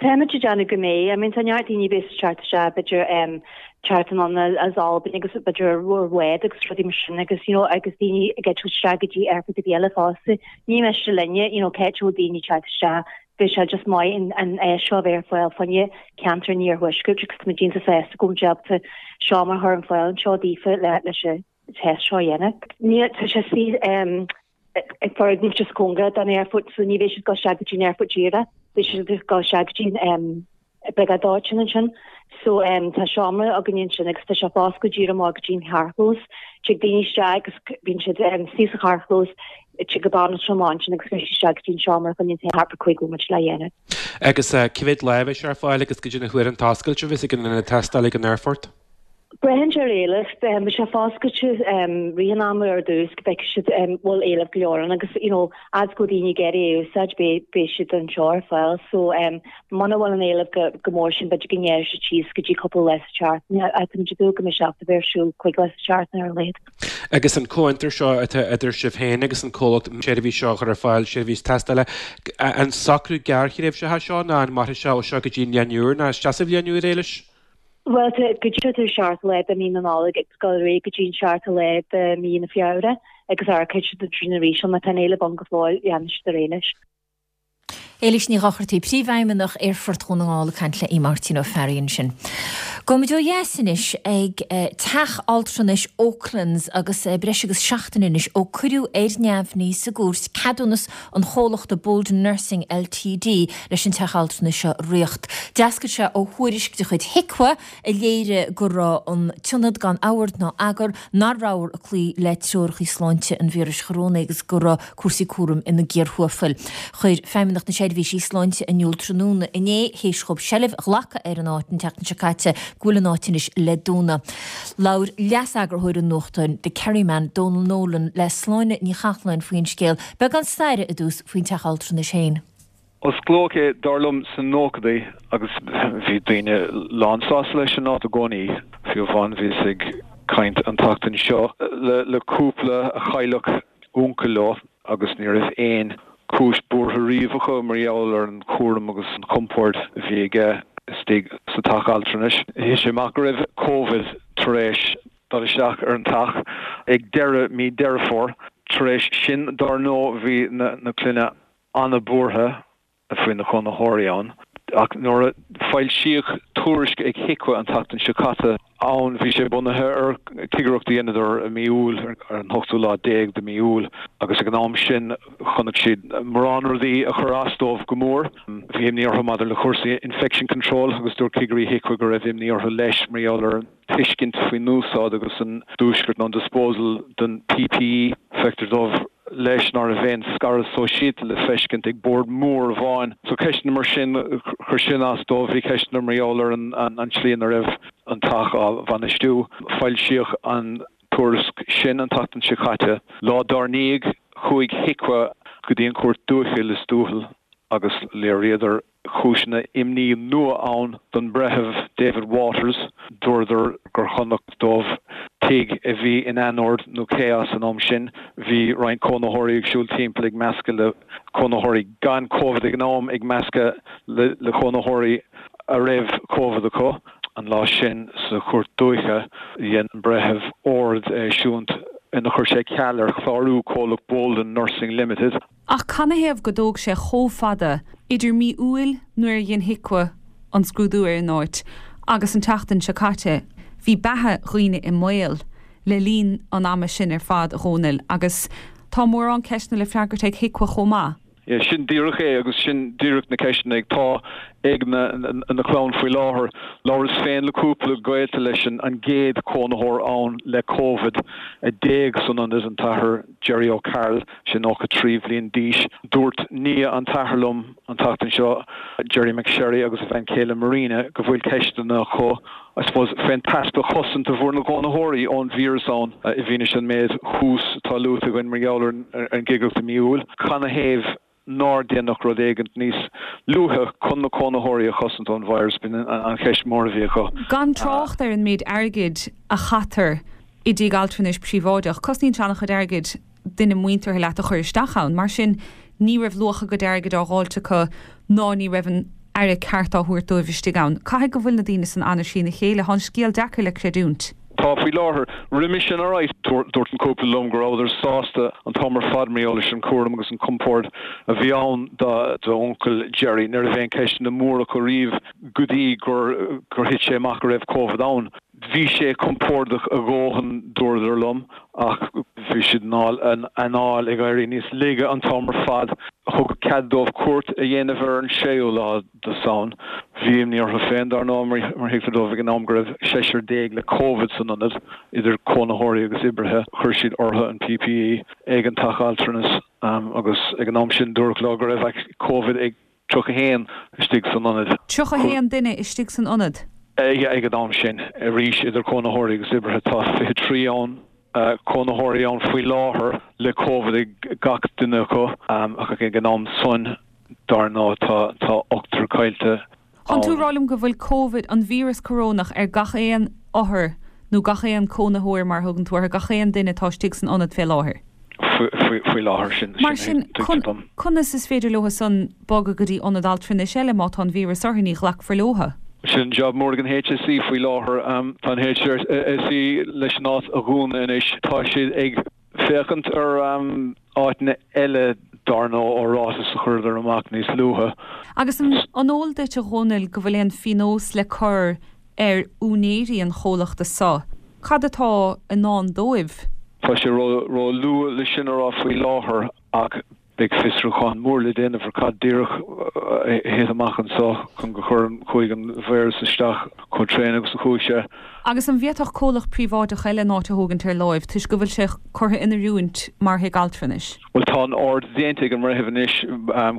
Táimid ag déanamh go mbeidh. I mean tá neart daoine a bheas ag teacht isteach b'fhéidir em teacht anonn as Albain agus b'fhéidir ar bhád agus rudaí mar sin agus you know agus daoine ag eitilt isteach go dtí aerfort ar bith eile fosta. Ní miste linne you know cá háit a bhfuil daoine ag teacht isteach beidh sé just maith an an áis seo a bheith ar fáil fá choinne ceantar an iarthuaiscirt agus táimid iontach sásta go bhfuil muid ábalta seomra a chur ar fáil anseo daofa le leis an test seo a dhéanamh. Níl tá sé suí em ag foirgneamh just cóngarach don aerfort so ní bheidh siad ag dul isteach go dtí an aerfort díreach, beidh siad ag dul isteach go dtí an briogáid dóiteáin ansin. So tá seomra againn ansin agus tá sé ag oscailt díreach amach go dtí an carrchlós. Tig daoine isteach agus bíonn siad suí sa charrchlós, tig an banaltra amach ansin agus bíonn siad isteach go dtí an seomra chun an thart ar 5 nóiméad le dhéanamh. Agus cá mhéad lá a bheidh sé ar fáil agus goidé na huaireanta oscailte a bheas ag an ionad tástála ag an aerfort? Braitheann sé ar éileamh. Beidh sé foscailte rith an ama ar dtús go bhfeicfidh siad an bhfuil éileamh go leor ann agus you know fhad is go bhfuil daoine ag iarraidh é a úsáid beidh beidh siad anseo ar fáil so muna bhfuil an éileamh go go mór sin b'fhéidir go ngearrfaidh siad síos go dtí cúpla lá sa tseachtain ach táimid ag dúil go mbeidh sé ábalta bheith ar siúl cúig lá sa tseachtain ar a laghad. Agus an comhfhiontar seo atá idir sibh féin agus an comhlacht seirbhís seo a chur ar fáil, seirbhís tástála, an socrú gearrthréimhseach é seo nó an mairfidh sé ó seo go dtí an bhliain úr nó isteach sa bhliain úr, Éilis? Bhuel, tá go dtí an seachtú lá de mhí na Nollag ag dul ar aghaidh go dtí an seachtú lá de mhí na Feabhra agus amharcfaidh siad ansin arís má tá an éileamh ann go fóill, leanfaidh siad ar aghaidh leis. Éilís Ní Dhochartaigh, Príomhfheidhmeannach Aerfort Dhún na nGall ag caint le Máirtín Ó Fearraigh ansin. Gabhfaimid ó dheas anois ag Teach Altranais Oaklands agus breis agus seachtain anois ó cuireadh ar neamhní sa gcúirt ceadúnas an chomhlachta Bolden Nursing Ltd leis an teach altranais seo a ritheacht. D'eascair sé ó thuairisc de chuid HIQA a léirigh go raibh an t-ionad gan ord ná eagar, nach rabhthar ag cloí le treoracha sláinte an víris chorónaigh agus go raibh cúrsaí cúraim ina gcíor thuafail. Chuir Feidhmeannacht na Seirbhísí Sláinte in iúl tráthnóna inné, théis dhóibh seilbh a ghlacadh ar an áit an tseachtain seo caite, go bhfuil an áit anois le dúnadh. Labhair leas-eagarthóir an nuachtáin The Kerryman, Donal Nolan, le Sláine Ní Chathláin faoin scéal. Beagán staire i dtús faoin teach altranais féin. Osclaíodh é, dar liom, sna nóchadaí agus bhí daoine lánsásta leis an áit i gcónaí. Fiú amháin bhíos ag caint an tseachtain seo le cúpla a chailleadh uncail leo agus ní raibh aon chúis buartha riamh acu mar gheall ar an chúram agus an chompord a bhí aige istigh sa teach altranais. Thit sé amach go raibh Covid tar éis dul isteach ar an teach ag deireadh mí Deireadh Fómhair. Tar éis sin, dár ndóigh, bhí na clainne an-bhuartha faoi na cónaitheoirí ann. Ach nuair a foilsíodh tuairisc ag HIQA an tseachtain seo caite ann, bhí sé bunaithe ar chigireacht a dheineadar i mí Iúil, ar an ochtú lá déag de mí Iúil, agus ag an am sin chonaic siad mórán rudaí a chuir as dóibh go mór. Bhí imní orthu maidir le cúrsaí infection control agus dúirt cigirí HIQA go raibh imní orthu leis mar gheall ar an tuiscint faoin úsáid agus an diúscairt nó an disposal den PPE. Feictear dóibh leis ná raibh aon scaradh sóisialta le feiscint ag bord mór amháin. So ceisteanna mar sin, chuir sin as dóibh. Bhí ceisteanna mar gheall ar an tslí ina raibh an teach á bhainistiú. Foilsíodh an tuairisc sin an tseachtain seo caite. Lá dár ndiaidh, chuaigh HIQA go dtí an Chúirt Dúiche Lios Tuathail agus léiríodar cúiseanna imní nua ann don Bhreitheamh David Waters. Dúradar gur chonac dóibh tigh a bhí in anord nó chaos an am sin. Bhí roinnt cónaitheoirí ag siúl timpeall ag meascadh le cónaitheoirí gan Covid ag an am, ag meascadh le cónaitheoirí a raibh Covid acu. An lá sin sa Chúirt Dúiche, dhein an Breitheamh ord a eisiúint ina chuir sé ceal ar chlárú comhlacht Bolden Nursing Limited. Ach canathaobh go dtóg sé chomh fada idir mí Iúil nuair a dhein HIQA an scrúdú ar an áit agus an tseachtain seo caite? Bhí beatha dhaoine i mbaol le linn an ama sin ar fad, a Dhónaill, agus tá mórán ceisteanna le freagairt ag HIQA chomh maith. Yeah, sin díreach é agus sin díreach na ceisteanna atá. Ag na clann faoi láthair. Labhras féin le cúpla gaolta leis an gcéad chónaitheoir ann le Covid a d'éag san ionad, an tAthair Gerry O'Carroll, sé 93 bhliain d'aois. Dúirt nia an t-athair liom an tseachtain seo, Gerry McSherry agus a bhean chéile Marina, go bhfuil ceisteanna acu, I suppose, fén t-easpa chosaint a bhfuair na cónaitheoirí ón víreas ann i bhfianaise an méid thuas atá luaite againn mar gheall ar an gcigireacht i mí Iúil. Canathaobh nár déanadh rud éigint níos luaithe chun na cónaitheoirí a chosaint ón virus, b'in an cheist mhór a bhí acu. Gan trácht ar an méid airgid a chaitear i dtigh altranais príobháideach, cosnaíonn sé an-chuid airgid duine muinteartha leat a chur isteach ann. Mar sin, ní raibh luach a gcuid airgid á dháilt acu ná ní raibh an aire ceart á thabhairt dóibh istigh ann. Caithfidh go bhfuil na daoine san an-trína chéile. Tá an scéal deacair le creidiúint. Tá faoi láthair. Roimhe sin alright, dúirt an cúpla liom go rabhadar sásta an t-am ar fad mar gheall leis an cúram agus an compord a bhí ann d'uncail Gerry. Ní raibh aon ceisteanna móra acu riamh go dtí gur gur thit sé amach go raibh Covid ann. Bhí sé compordach a dhóthain, dúradar liom, ach bhí siad an anáil ag éirí níos laige an t-am ar fad. Thugadh cead dóibh cuairt a dhéanamh ar an séú lá. de Samhain. Bhí imní orthu féin, dar ndóigh, mar thuigtear dóibh ag an am go raibh seisear déag le Covid san ionad, idir cónaitheoirí agus oibrithe. Chuir siad orthu an PPE ag an teach altranais agus ag an am sin dúradh leo go raibh Covid ag 31 istigh san ionad. 31 duine istigh san ionad? Ag an am sin. Arís, idir cónaitheoirí agus oibrithe, tá 23 ann. cónaitheoirí ann faoi láthair le Covid ag gach duine acu ach ag an am san, dar ndóigh, tá ochtar caillte Tánn tú ag rá liom go bhfuil Covid, an víreas corónach, ar gach aon othar nó gach aon cónaitheoir mar a thugann tú orthu, gach aon duine atá istigh san ionad fé láthair? Faoi láthair, sin Mar sin, conas is féidir leo san bogadh go dtí ionad altranais eile má tá an víreas orthu, ní ghlacfar leo? Sin job mór ag an HSE faoi láthair. Tá an HSE leis an áit a dhúnadh anois. Tá siad ag féachaint ar áiteanna eile dar ndóigh ó ráiteas a chuireadar amach níos luaithe. Agus an eol duit a Dhónaill go bhfuil aon phionós le cur ar úinéirí an chomhlachta so? Cad atá i ndán dóibh? Tá sé ró-luath le sin a rá faoi láthair ach beidh fiosrúchán mór le déanamh ar cad díreach a thit amach anso chun go chuir chuaigh an víreas isteach chomh tréan agus a chuaigh sé. Agus an bhféadfadh comhlacht príobháideach eile an áit a thógaint ar láimh toisc go bhfuil sé curtha in oiriúint mar thigh altranais? Bhuel tá an ord déanta ag an mbreitheamh anois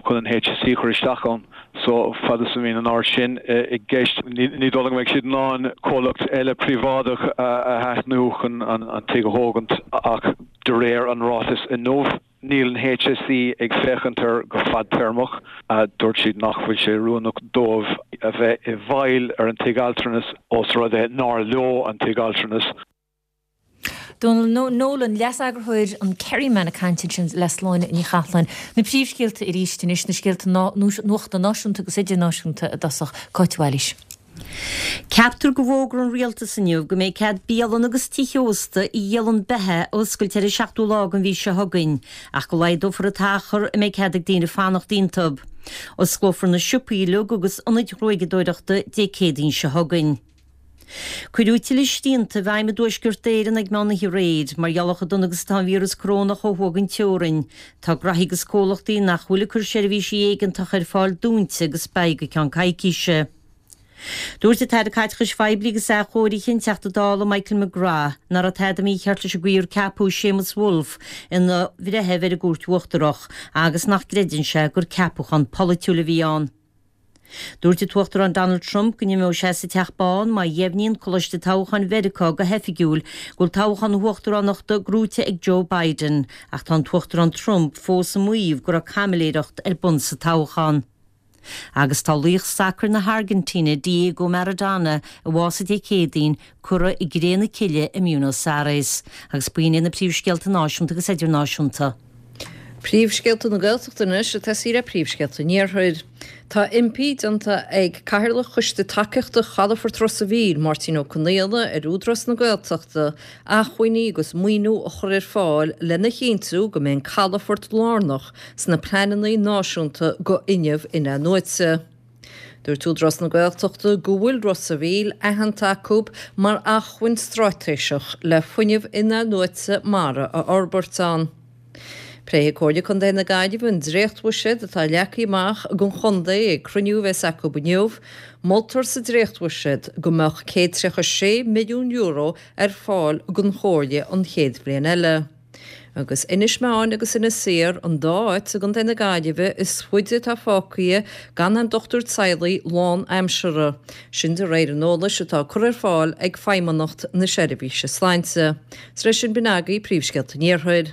chun an HSE a chur isteach ann so fad is a bhíonn an ord sin i gceist ní dóigh liom go mbeidh siad in ann comhlacht eile príobháideach a aithniú chun an tigh a thógaint ach de réir an ráitis inniu Níl an HSE ag féachaint air go fadtéarmach. Dúirt siad nach bhfuil sé oiriúnach dóibh a bheith i bhfeighil ar an tigh altranais ós rud é nár leo an tigh altranais. Dónal Nolan, Leas-Eagarthóir an Kerryman ag caint ansin le Sláine Ní Chathalláin. Na príomhscéalta arís anois, na scéalta nuachta náisiúnta agus idirnáisiúnta i dtosach. Cáit Bhailís. Ceaptar go bhfógróidh an Rialtas inniu go mbeidh cead bialanna agus tithe ósta a dhíolann beatha a oscailt ar an seachtú lá den mhí seo chugainn, ach go laghdófar an t-achar a mbeidh cead ag daoine fanacht iontu. Osclófar na siopaí uilig agus ionaid ghruaigeadóireachta Dé Céadaoin seo chugainn. Cuireadh tuilleadh srianta i bhfeidhm i dTuaisceart Éireann ag meán oíche aréir, mar gheall ar chomh dona agus atá an víreas corónach ó thuaidh den teorainn. Tá graithí agus comhlachtaí nach bhfuil ag cur seirbhísí éigeantacha ar fáil dúnta agus beidh go ceann coicíse. Dúirt an tAire Caiteachais Phoiblí agus Athchóirithe, an Teachta Dála Michael McGrath, nach raibh tada mícheart leis an gcaoi ar ceapadh Séamus Woulfe ina bhreitheamh ar an gCúirt Uachtarach agus nach gcreideann sé gur ceapachán polaitiúil a bhí ann. Dúirt an tUachtarán Donald Trump go n-imeoidh sé as an Teach Bán má dheimhníonn Coláiste Toghcháin Mheiriceá go hoifigiúil go bhfuil toghchán na huachtaránachta gnóite ag Joe Biden, ach tá an tUachtarán Trump fós ag maíomh go raibh caimiléireacht ar bun sa toghchán. Agus tá laoch sacair na hAirgintíne Diego Maradona, a bhásaigh Dé Céadaoin, curtha i gcré na cille i mBuenos Aires. Agus b'in iad na príomhscéalta náisiúnta agus idirnáisiúnta. Príomhscéalta na Gaeltachta anois ag tosaí le príomhscéalta an Iarthair. Tá impí déanta ag Cathaoirleach Choiste Tacaíochta Chalafort Ros a' Mhíl, Máirtín Ó Conaola, ar Údarás na Gaeltachta acmhainní agus maoiniú a chur ar fáil lena chinntiú go mbeidh an calafort lárnach sna pleananna náisiúnta go fhuinneamh in-athnuaite. Dúirt Údarás na Gaeltachta go bhfuil Ros a' Mhíl aitheanta acu mar acmhainn straitéiseach le fuinneamh in-athnuaite mara a fhorbairt ann. Pléifidh Comhairle Contae na Gaillimhe an dréachtbhuiséad atá leagtha amach don chontae ag cruinniú a bheas acu inniu. Moltar sa dréachtbhuiséad go mbeadh €136 milliún ar fáil don Chomhairle an chéad bhliain eile. Agus Inis Meáin agus Inis Oírr an dá áit i gContae na Gaillimhe is faide atá fágtha gan aon dochtúir teaghlaigh lán-aimseartha, sin de réir an eolais atá curtha ar fáil ag Feidhmeannacht na Seirbhíse Sláinte. Is leis sin b'in agaibh príomhscéalta an Iarthair.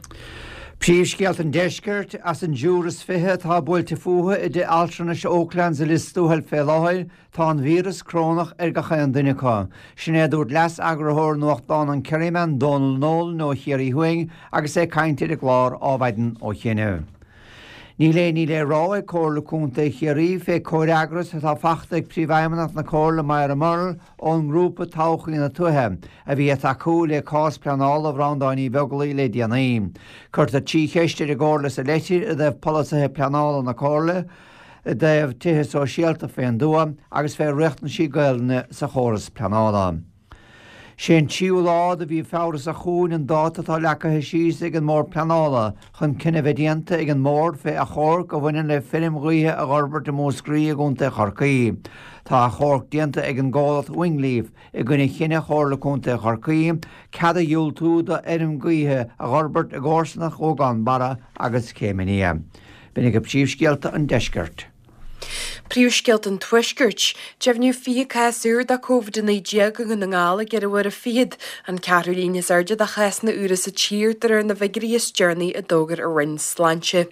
Príomhscéalta an Deiscirt, As an dtriúr is 20 atá buailte fúthu i dtithe altranais Oaklands i Lios Tuathail fé láthair, Tá an víreas corónach ar gach aon duine acu. Sin é a dúirt leas-eagarthóir nuachtáin an Kerryman, Dónal Nolan ó Chiarraí Thuaidh agus é ag caint ar an gclár Ádhmhaidin ó chianaibh. Níl aon ní le rá ag Comhairle Contae Chiarraí fé comhfhreagras atá fachta ag Príomhfheidhmeannach na Comhairle Moira Murrell ón ngrúpa Todhchaí na Tuaithe a bhí ag tacú le cás pleanála Bhreandáin Uí Bheaglaoich le déanaí. Cuirtear 3 cheist ar an gComhairle sa leitir i dtaobh polasaithe pleanála na Comhairle, i dtaobh tithe sóisialta fén dtuath agus fé riachtanaisí Gaelainne sa chóras pleanála. Sé an tríú lá de mhí Feabhra seo chugainn an dáta atá leagtha síos ag an mBord Pleanála chun cinneadh bheith déanta ag an mBord fé achomharc a bhaineann le feirm ghaoithe a dh'fhorbairt i Múscraí i gContae Chorcaí. Tá achomharc déanta ag an gcomhlacht Wingleaf i gcoinne chinneadh Chomhairle Contae Chorcaí cead a dhiúltú do fheirm gaoithe a dh'fhorbairt i gcomharsanacht Ghuagán Barra agus Chéim an Fhia. B'in agaibh príomhscéalta an deiscirt. Príomhscéalta an Tuaiscirt. Deimhníodh 20 cás úr de Covid-19 i nDún na nGall i gceithre huaire fichead, an ceathrú líon is airde de chásanna úra sa tír de réir na bhfigiúirí is deireanaí a d'fhógair an Roinn Sláinte.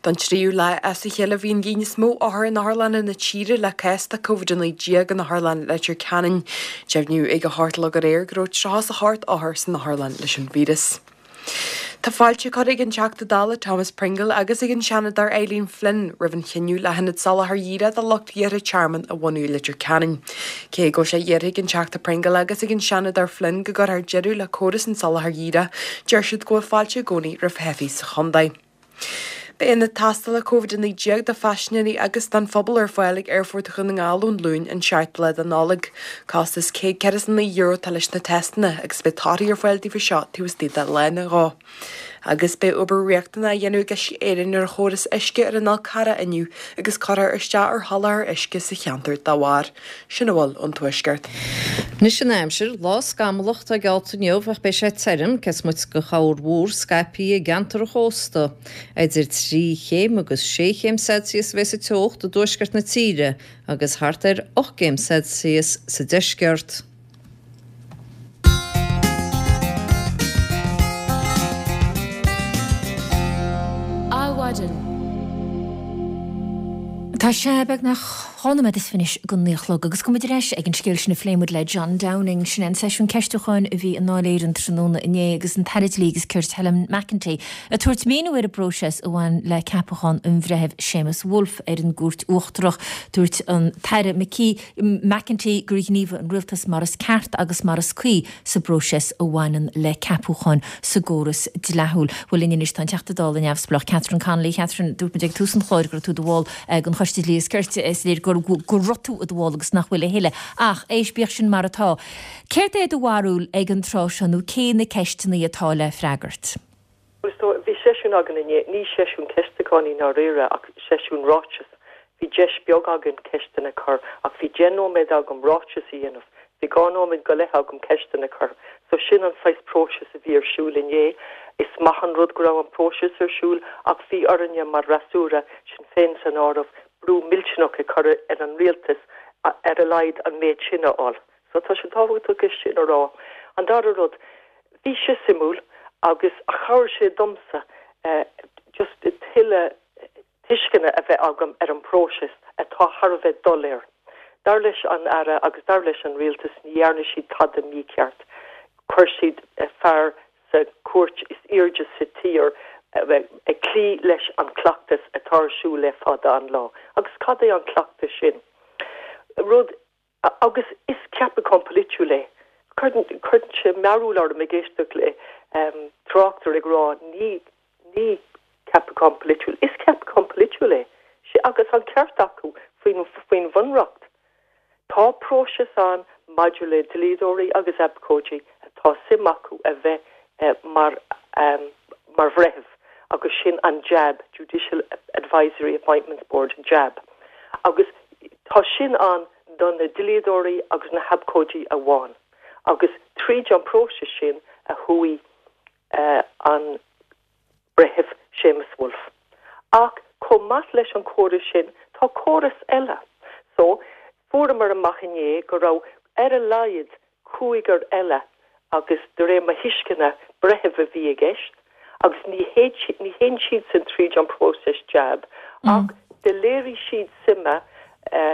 Don tríú lá as a chéile bhí an líon is mó othar in otharlanna na tíre le cás de Covid-19 in Otharlann Leitir Ceanainn. Deimhníodh ag a hocht a chlog aréir go raibh 38 othar san otharlann leis an víreas. Tá fáilte curtha ag an Teachta Dála Thomas Pringle agus ag an Seanadóir Eileen Flynn roimh an chinneadh le hionad soláthair dhíreach do lucht iarrtha tearmainn a bhunú i Leitir Ceanainn. Cé go bhfuil sé iarrtha ag an Teachta Pringle agus ag an Seanadóir Flynn go gcuirfear deireadh le córas an tsoláthair dhíreach, deir siad go bhfuil fáilte i gcónaí roimh theifigh sa chontae. Beidh ionad tástála Covid-19 do phaisinéirí agus don phobal ar fáil ag Aerfort Dhún na nGall ón Luan an 7ú lá de Nollaig. Costas €149 atá leis na teisteanna agus beidh torthaí ar fáil daofa seo taobh istigh de lá nó dhó. Agus beidh obair riachtanach á dhéanamh ag Uisce Éireann ar chóras uisce ar an Fhál Carrach inniu agus cuirfear isteach ar sholáthar uisce sa cheantar dá bharr. Sin a bhfuil ón Tuaisceart. Anois an aimsir, lá scamallach atá geallta inniu ach beidh sé tirim, cé is moite de chorrmhúr scaipthe i gceantar an chósta. Idir 3 chéim agus 6 chéim Celsius a bheas an teocht i dtuaisceart na tíre agus thart ar 8 gcéim Celsius sa deisceart. Adhmhaidin. Tá sé beagnach 2 nóiméad is fiche go 9 a chlog agus gabhfaidh muid ar ais ag an scéal sin a phléigh muid le John Downing. Sin é an seisiún ceistiúcháin a bhí i nDáil Éireann tráthnóna inné agus an tAire Dlí agus Cirt Helen McEntee ag tabhairt míniú ar an bpróiseas a bhain le ceapachán an Bhreithimh Séamus Woulfe ar an gCúirt Uachtarach. Dúirt an tAire McKee McEntee gur ghníomhaigh an Rialtas mar is ceart agus mar is cuí sa bpróiseas a bhaineann le ceapúcháin sa gcóras dleathúil. Bhuel linn anois tá an Teachta Dála neamhspleách Catherine Connolly. Catherine, dúirt muid ag tús an chláir go raibh tú i do bhall den Choiste Dlí is Cirt. Is léir go raibh tú i do bhall agus nach bhfuil a thuilleadh. Ach, éist, bíodh sin mar atá, céard é do bharúil ag an tráth seo nó cé na ceisteanna atá le freagairt? Bhuel, so, bhí seisiún againn inné, ní seisiún ceistiúcháin i ndáiríre ach seisiún ráiteas. Bhí deis beag againn ceisteanna a chur ach bhí deich nóiméad agam ráiteas a dhéanamh, bhí dhá nóiméad go leith agam ceisteanna a chur. So sin an saghas próiseas a bhí ar siúl inné. Is maith an rud go raibh an próiseas ar siúl ach bhí orainne mar fhreasúra, Sinn Féin san áireamh, brú millteanach a chur ar an rialtas ar a laghad an méid sin a fháil. So tá sé tábhachtach é sin a rá. An dara rud, bhí sé suimiúil agus chabhraigh sé domsa just tuilleadh tuisceana a bheith agam ar an bpróiseas atá thar a bheith doiléir. Dar leis an Aire agus dar leis an Rialtas ní dhearna siad tada mícheart. Chuir siad fear sa chúirt is airde sa tír ag cloí leis an cleachtas atá ar siúl le fada an lá. Agus cad é an cleachtas sin? Rud Agus is ceapachán polaitiúil é. Cuireann sé mearbhall orm ag éisteacht le tráchtaire ag rá ní ní ceapachán polaitiúil. Is ceapachán polaitiúil é. Sea, agus an ceart acu faoin faoin bhunreacht. Tá próiseas ann maidir le dlíodóirí agus abhcóidí atá suim acu a bheith mar mar bhreitheamh. agus sin an JAB, Judicial Advisory Appointments Board, JAB, agus tá sin ann do na dlíodóirí agus na habhcóidí amháin agus tríd an próiseas sin a chuaigh an Breitheamh Séamus Woulfe. Ach chomh maith leis an chóras sin, tá córas eile. So, fuaireamar amach inné go raibh ar a laghad cúigear eile agus de réir mo thuisceana, breithimh a bhí i gceist agus ní ní théann siadsan tríd an próiseas jab ach do léirigh siad suime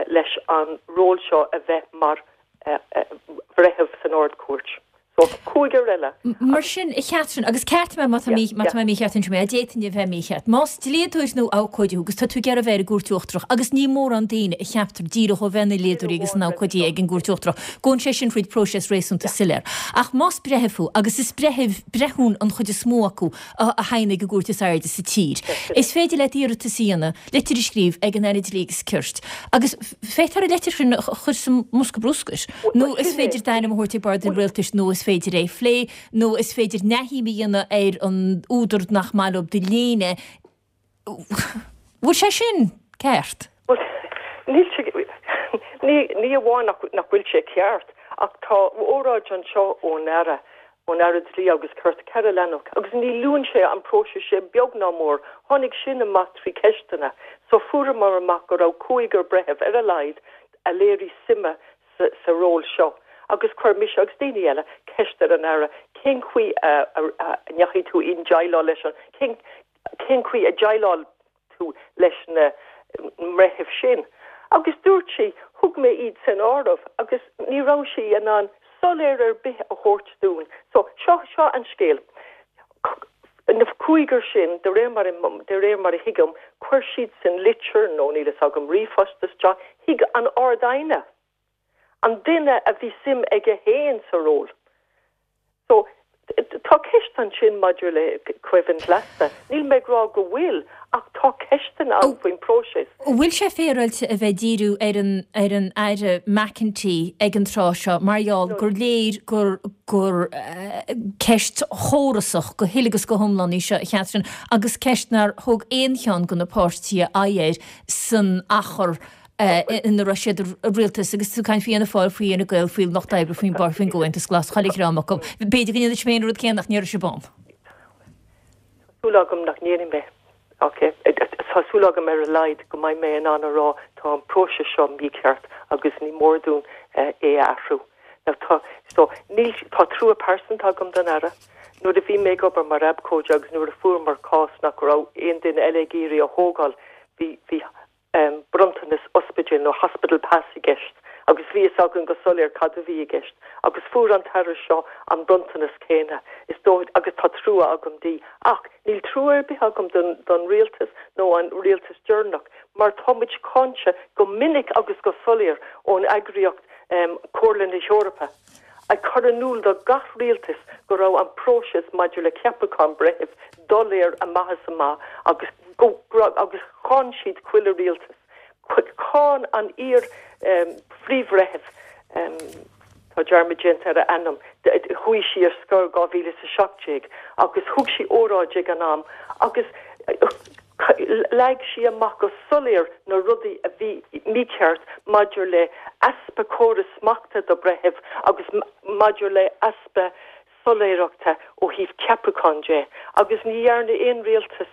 leis an ról seo a bheith mar bhreitheamh san Ard-Chúirt. So, cúigear eile. Mar sin, a Chatherine, agus ceartaigh mé má tá mé má tá mé mícheart ansin, mé, d'fhéadfainn a bheith mícheart. Más dlíodóir nó abhcóide thú agus tá tú ag iarraidh a bheith ar an gCúirt Uachtarach, agus ní mórán daoine a cheaptar díreach ó bheith ina ndlíodóirí agus ina n-abhcóidí ag an gCúirt Uachtarach, gabhann sé sin fríd próiseas réasúnta soiléir. Ach más breitheamh thú, agus is breithimh, breithiúin an chuid is mó acu a thagann ag an gcúirt is airde sa tír, is féidir leat iarratas a dhéanamh, litir a scríobh ag an Aire Dlí agus Cirt, agus féadtar an litir sin a chur sa mbosca bruscair, nó is féidir d'ainm a thabhairt ag bord an rialtais, nó is féidir é a phlé, nó is féidir neamhshuim a dhéanamh ar an údar nach maith leo do léine. Bhfuil sé sin ceart? Bhuel, níl sé, ní, ní amháin nach, nach bhfuil sé ceart, ach tá óráid anseo ón Aire ón Aire Dlí agus Cirt, Carol Lennox, agus ní luann sé an próiseas sin beag ná mór. Tháinig sin amach trí ceisteanna. So fuaireamar amach go raibh cúigear breitheamh ar a laghad a léirigh suime sa sa ról seo. Agus chuir mise agus daoine eile ceist ar an Aire cén chaoi a a ndeachaigh tú i ndéileáil leis an cén cén chaoi a dhéileáil tú leis na mbreithimh sin. Agus dúirt sí, thug mé iad san áireamh agus ní raibh sí in ann soiléir ar bith a thabhairt dúinn. So, seo, seo an scéal. Na cúigear sin, de réir mar, de réir mar a thuigim, chuir siadsan litir, nó níl fhios agam, ríomhphost isteach chuig an Ard-Aighne. An duine a bhí suim aige féin sa ról. So, tá ceist ansin maidir le coimhlint leasa. Níl mé ag rá go bhfuil, ach tá ceisteanna ann faoin bpróiseas. An bhfuil sé féaráilte a bheith ag díriú ar an ar an Aire McEntee ag an tráth seo mar gheall gur léir gur gur ceist chórasach go huile agus go hiomlán í seo, a Chatherine, agus ceist nár thug aon cheann de na páirtithe aghaidh air san achar ina raibh siad i rialtas agus tú ag caint faoi Fhianna Fáil, faoi Fhine Gael, faoi Lucht Oibre, faoin bpáirtí, faoin gComhaontas Glas, chuile dhream acu. B'fhéidir go ndéanfaidh sibh féin an rud céanna ach ní raibh sibh ann. Tá súil agam nach ndéanfaidh mé. Ok. Tá súil agam ar a laghad go mbeidh mé in ann a rá tá an próiseas seo mícheart agus ní mór dúinn é a athrú. Now tá, so, níl, tá trua pearsanta agam don Aire. Nuair a bhí mé ag obair mar abhcóide agus nuair a fuaireamar cás nach raibh aon duine eile ag iarraidh a thógáil, bhí, bhí, bronntanas ospidéil nó hospital pass i gceist agus bhí fhios againn go soiléir cad a bhí i gceist agus fuair an tAire seo an bronntanas céanna is dóigh agus tá trua agam di ach níl trua ar bith agam don don rialtas nó an rialtas deireanach mar tá muid cáinte go minic agus go soiléir ón eagraíocht Comhairle na hEorpa ag cur in iúl do gach rialtas go raibh an próiseas maidir le ceapachán breithimh doiléir amach is amach agus go agus cháin siad chuile rialtas. Cháin an iar phríomhbhreitheamh, tá dearmad déanta ar a ainm, chuaigh sí ar scor 2017 agus thug sí óráid ag an am agus leag sí amach go soiléir na rudaí a bhí mícheart maidir le easpa córas smachta do bhreithimh agus maidir le easpa soiléireachta ó thaobh ceapachán de agus ní dhearna aon rialtas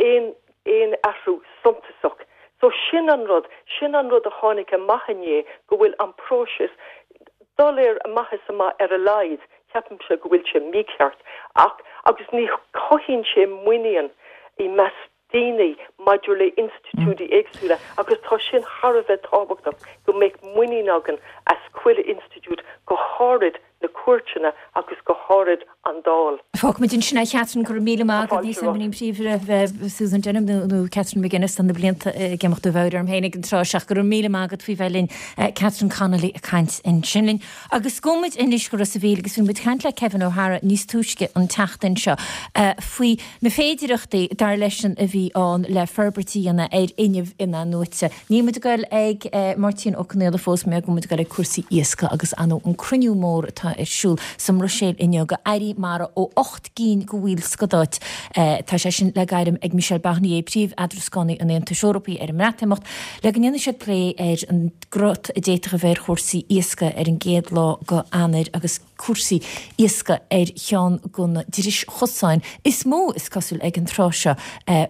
aon aon athrú suntasach. So sin an rud, sin an rud a tháinig amach inné go bhfuil an próiseas doiléir amach is amach ar a laghad, ceapaimse go bhfuil sé mícheart ach agus ní chothaíonn sé muinín i measc daoine maidir le institiúidí éagsúla agus tá sin thar a bheith tábhachtach go mbeadh muinín againn as chuile institiúid, go háirid na cúirteanna agus go háirid an Dáil. Fágfaimid ansin é, a Chatherine, go raibh míle maith agat. Níl 'fhios agam an príomh-bhreitheamh Susan Denham nó nó Catherine McGuinness tá na blianta ag imeacht ó mheabhair orm féin ag an tráth seo ach go raibh míle maith agat faoi bheith linn. Catherine Connolly ag caint ansin linn. Agus gabhfaidh muid anois go Ros a' Mhíl agus bhí muid ag caint le Kevin O'Hara níos túisce an tseachtain seo faoi na féidireachtaí, dar leisean, a bhí ann le forbairt a dhéanamh ar fhuinneamh in-athnuaite. Níl muid ag goil ag Máirtín Ó Conghaile fós, mar go bhfuil muid ag goil ag cúrsaí iascaigh agus ar ndóigh an cruinniú mór atá ar siúl sa mBruiséil inniu go airí mara ó. 8 gcinn de bhallstáit. Tá sé sin le gairm ag Michel Barnier, príomh-eadrascánaí an Aontais Eorpaigh ar an mBreatimeacht, le go ndéanfaidh siad plé ar an gcrot a d'fhéadfadh a bheith ar chúrsaí iascaigh ar an gcéad lá de Eanáir agus cúrsaí iascaigh ar cheann de na dris-chosáin is mó, is cosúil, ag an tráth seo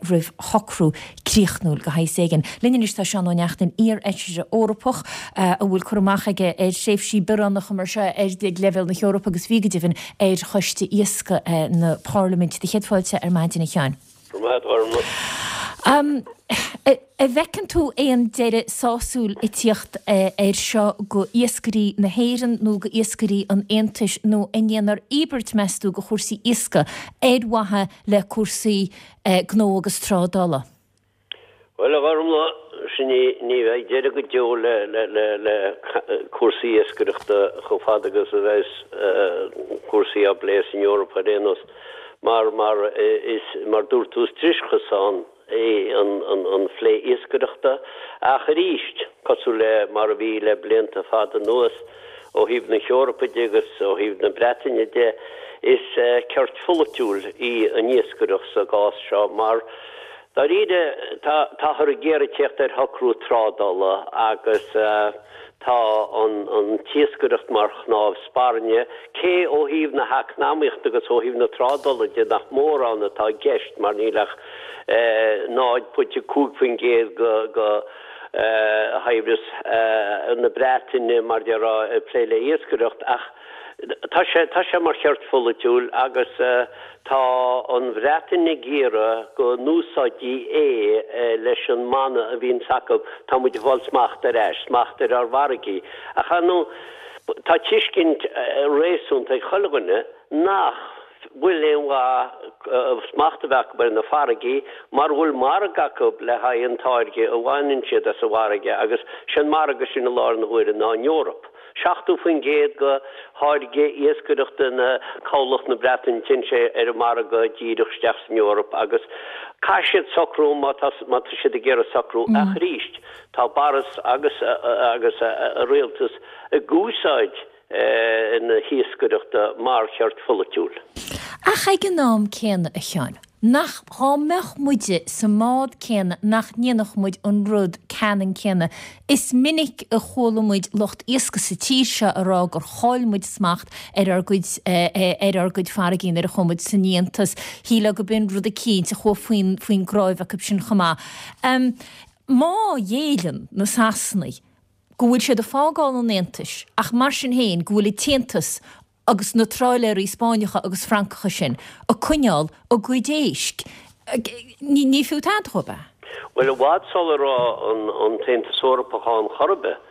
roimh shocrú críochnúil de shaghas éigin. Linn anois tá Seán Ó Neachtain, iar-fheisire Eorpach a bhfuil cur amach aige ar thréimhsí bioránacha mar seo ar leibhéal na hEorpa agus bhí go deimhin ar Choiste Iascaigh na Parlaiminte. Do chéad fáilte ar maidin, a Sheáin. Go raibh maith agat, a Ghormfhlaith. An bhfeiceann tú aon deireadh sásúil ag tíocht air seo go iascairí na hÉireann nó go iascairí an Aontais nó an ndéanfar íobairt, meas tú, go chúrsaí iascaigh ar mhaithe le cúrsaí gnó agus trádála? Bhuel, a Ghormfhlaith, sin í, ní bheidh deireadh go deo le, le, le, le cúrsaí iascaireachta chomh fada agus a bheas cúrsaí á bplé san Eoraip ar aon nós. Mar, mar is, mar dúirt tú, is drischosán é an, an, an phlé iascaireachta. Ach arís, cosúil le mar a bhí le blianta fada anuas, ó thaobh na hEorpa de agus ó thaobh na Breataine de, is ceirt pholaitiúil í an iascaireacht sa gcás seo mar, dáiríre, táthar ag iarraidh teacht ar shocrú trádála agus tá an t-iascaireacht mar chnámh spairne, cé ó thaobh na heacnamaíochta agus ó thaobh na trádála de nach mórán atá i gceist mar níl ach 0.5% de shaibhreas na Breataine, mar déarfá, ag plé le iascaireacht, ach tá sé, tá sé mar cheirt pholaitiúil agus tá an Bhreatain ag iarraidh go n-úsáidtí é leis an mana a bhíonns acu, tá muid ag fáil smacht ar ais, smacht ar ár bhfarraigí. Ach ar ndóigh, tá tuiscint réasúnta ag chuile dhuine nach bhfuil aon mhaith smacht a bheith acu ar na farraigí mara bhfuil margadh acu le haghaidh an táirge a bhaineann siad as an bhfarraige agus sé an margadh sin i láthair na huaire ná an Eoraip. 70% de tháirge iascaireachta na cabhlach na Breataine téann sé ar an margadh díreach isteach san Eoraip agus caithfidh siad socrú má tá má tá siad ag iarraidh socrú ach arís tá Boris agus agus a rialtas ag úsáid na hiascaireachta mar cheirt pholaitiúil. Ach ag an am céanna, a Sheáin, nach, dhá mbeadh muide sa mbád céanna nach ndéanfadh muid an rud ceannann céanna. Is minic a chuala muid lucht iascaigh sa tír seo a rá gur chaill muid smacht ar ár gcuid, ar ár gcuid farraigí nuair a chuaigh muid san Aontas. Shílfeá go b'in rud eicínt a chuaigh faoin, faoin gcnáimh acu sin chomh maith. Má ghéilleann na Sasanaigh, go bhfuil siad ag fágáil an Aontais ach mar sin féin go bhfuil an tAontas agus na tráiléirí Spáinneacha agus Francacha sin ag coinneáil a gcuid éisc. Ní fiú tada dhóibh é. Bhuel, i bhfad sula raibh an tAontas Eorpach ann chor ar bith,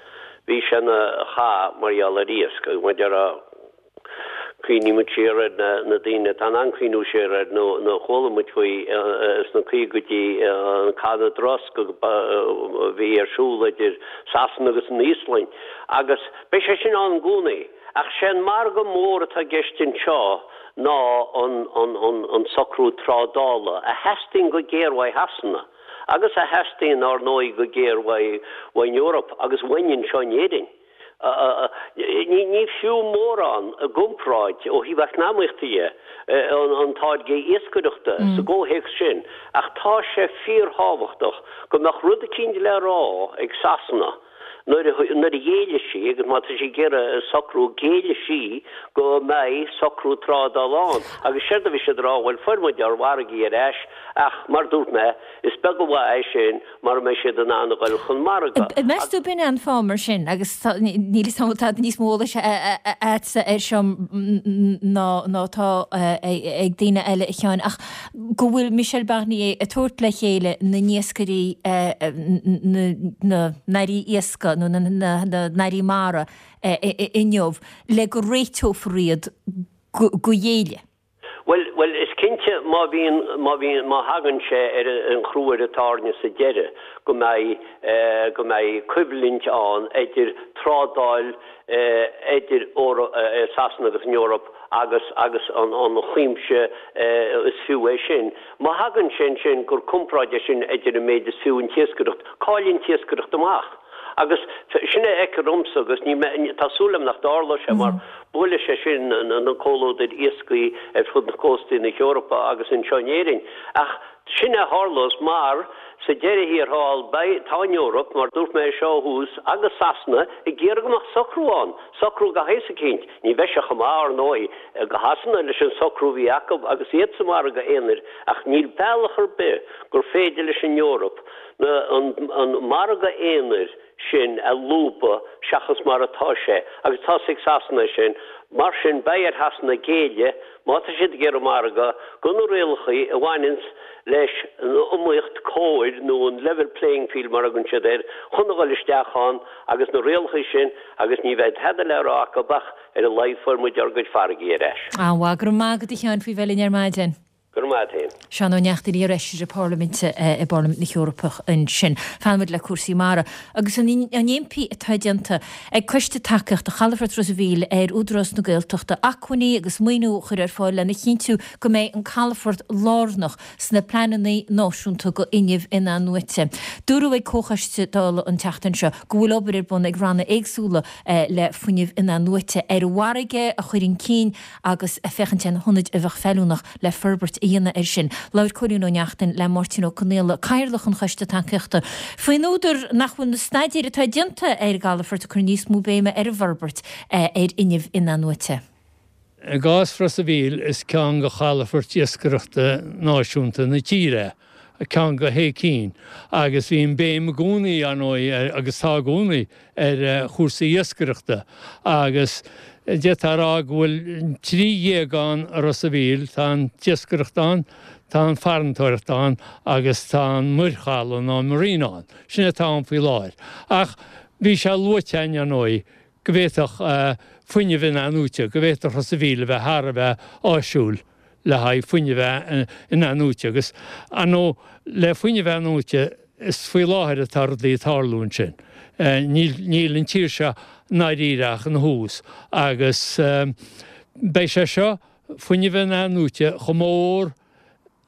bhí sé ina chath mar gheall ar iasc agus mar a déarfá, Cuimhníonn muid siar ar na daoine atá in ann cuimhniú siar air nuair a chuala muid faoi sna caogaidí, an Cath na dTrosc a bhí ar siúl idir Sasana agus an Íoslainn. Agus beidh sé sin ann i gcónaí. Ach sé an margadh mór atá i gceist anseo ná an socrú trádála a theastaíonn go géar uaidh Shasana agus a theastaíonn, ár ndóigh, go géar uaidh an Eoraip agus uainn anseo in Éirinn. Ní fiú mórán i gcomparáid, ó thaobh eacnamaíochta dhe, an táirge iascaireachta sa gcomhthéacs sin, ach tá sé fíorthábhachtach go mbeadh rud eicínt le rá ag Sasana nuair a ghéillfidh sí, agus má tá sí ag iarraidh socrú, géillfidh sí go mbeidh socrú trádála ann. Agus séard a bhí siad a rá, bhuel, fuair muid ár bhfarraigí ar ais, ach mar dúirt mé, is beag an mhaith é sin mara mbeidh siad in ann a dhul chun margaidh. Meas tú b'in é an fáth mar sin, agus níl 'fhios a'm tá níos mó eolais a'dsa air seo ná atá ag daoine eile, a Sheáin, ach go bhfuil Michel Barnier ag tabhairt le chéile na n-iascairí, na n-airí iascaigh nó na n-airí mara inniu le go réiteofar iad go ghéilleadh. Bhuel, bhuel, is cinnte má bhíonn, má bhíonn, má thagann sé ar an chrú ar an tairne sa deireadh go mbeidh, go mbeidh coimhlint ann idir trádáil idir Sasana agus an Eoraip agus, agus an, an cuimse is fiú é sin. Má thagann sé ansin gur comparáid é sin idir an méid is fiú an t-iascaireacht, cailleann an t-iascaireacht amach. Agus sin a fheictear domsa agus ní, tá súil agam nach dtarlóidh sé mar buailfidh sé sin na comhluadair iascaigh ar fud na cóstaí na hEorpa agus anseo in Éirinn. Ach sin a tharlós mar sa deireadh thiar thall beidh, tá an Eoraip, mar dúirt mé é seo ó thús, agus Sasana ag iarraidh go mbeadh socrú ann, socrú de shaghas eicínt. Ní bheidh sé chomh maith, ar ndóigh, do Shasana leis an socrú a bhí acu agus iad sa mhargadh aonair ach níl bealach ar bith gur féidir leis an Eoraip na, an, an margadh aonair sin a lúbadh seachas mar atá sé agus tá's ag Sasana é sin. Mar sin beidh ar Shasana géilleadh, má tá siad ag iarraidh margadh, do na rialachaí a bhaineanns leis an iomaíocht cóir nó an level playing field mar a thugann siad air, chun a dhul isteach ann agus na rialachaí sin agus ní bheidh tada le rá acu ach ar a laghad fuair muid ár gcuid farraigí ar ais. An-mhaith. Go raibh maith agat a Sheáin faoi bheith linn ar maidin. Go raibh maith a't fhéin. Seán Ó Neachtain, iar-fheisire Parlaiminte i bParlaimint na hEorpach ansin. Fanfaidh muid le cúrsaí mara agus an impí atá déanta ag Coiste Tacaíochta Chalafort Ros a' Mhíl ar Údarás na Gaeltachta acmhainní agus maoiniú a chur ar fáil lena chinntiú go mbeidh an calafort lárnach sna pleananna náisiúnta do fhuinneamh in-athnuaite. Dúradh ag Comhchoiste Dála an tseachtain seo go bhfuil obair ar bun ag ranna éagsúla le fuinneamh in-athnuaite ar an bhfarraige a chur chun cinn agus féachaint ar na hionaid a bheadh feiliúnach le forbairt a dhéanamh air sin. Labhair Cóilín Ó Neachtain le Máirtín Ó Conaola, Cathaoirleach an Choiste Tacaíochta, faoin údar nach bhfuil na staidéir atá déanta ar an gcalafort ag cur níos mó béime ar an bhforbairt ar fhuinneamh in-athnuaite. I gcás Ros a' Mhíl, is ceann de chalafoirt iascaireachta náisiúnta na tíre é. ceann de shé cinn, agus bhí an béim i gcónaí, ar ndóigh, agus tá i gcónaí, ar chúrsaí iascaireachta. Agus d'fhéadfá a rá go bhfuil 13 ann i Ros a' Mhíl, tá an t-iascaireacht ann, tá an farantóireacht ann agus tá an muirchaladh nó an marina ann. Sin é atá ann faoi láthair. Ach bhí sé luaite againn, ar ndóigh, go bhféadfadh fuinneamh in-athnuaite, go bhféadfadh Ros a' Mhíl a bheith thar a bheith áisiúil le haghaidh fuinneamh in-athnuaite agus, ar ndóigh, le fuinneamh athnuaite, is faoi láthair atá rudaí ag tarlú ansin. Níl, níl an tír seo i ndáiríre ach ina thús agus beidh sé seo, fuinneamh in-athnuaite, chomh mór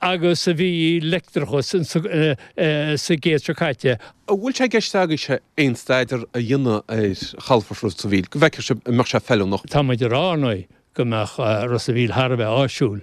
agus a bhí leictreachas sa gcéad seo caite. An bhfuil sé i gceist agaibhse aon staidéar a dhéanamh ar chalafort Ros a' Mhíl, go bhfeicfeadh sibh an mbeadh sé feiliúnach? Tá muid ag rá, ar ndóigh, go mbeadh Ros a' Mhíl thar a bheith áisiúil.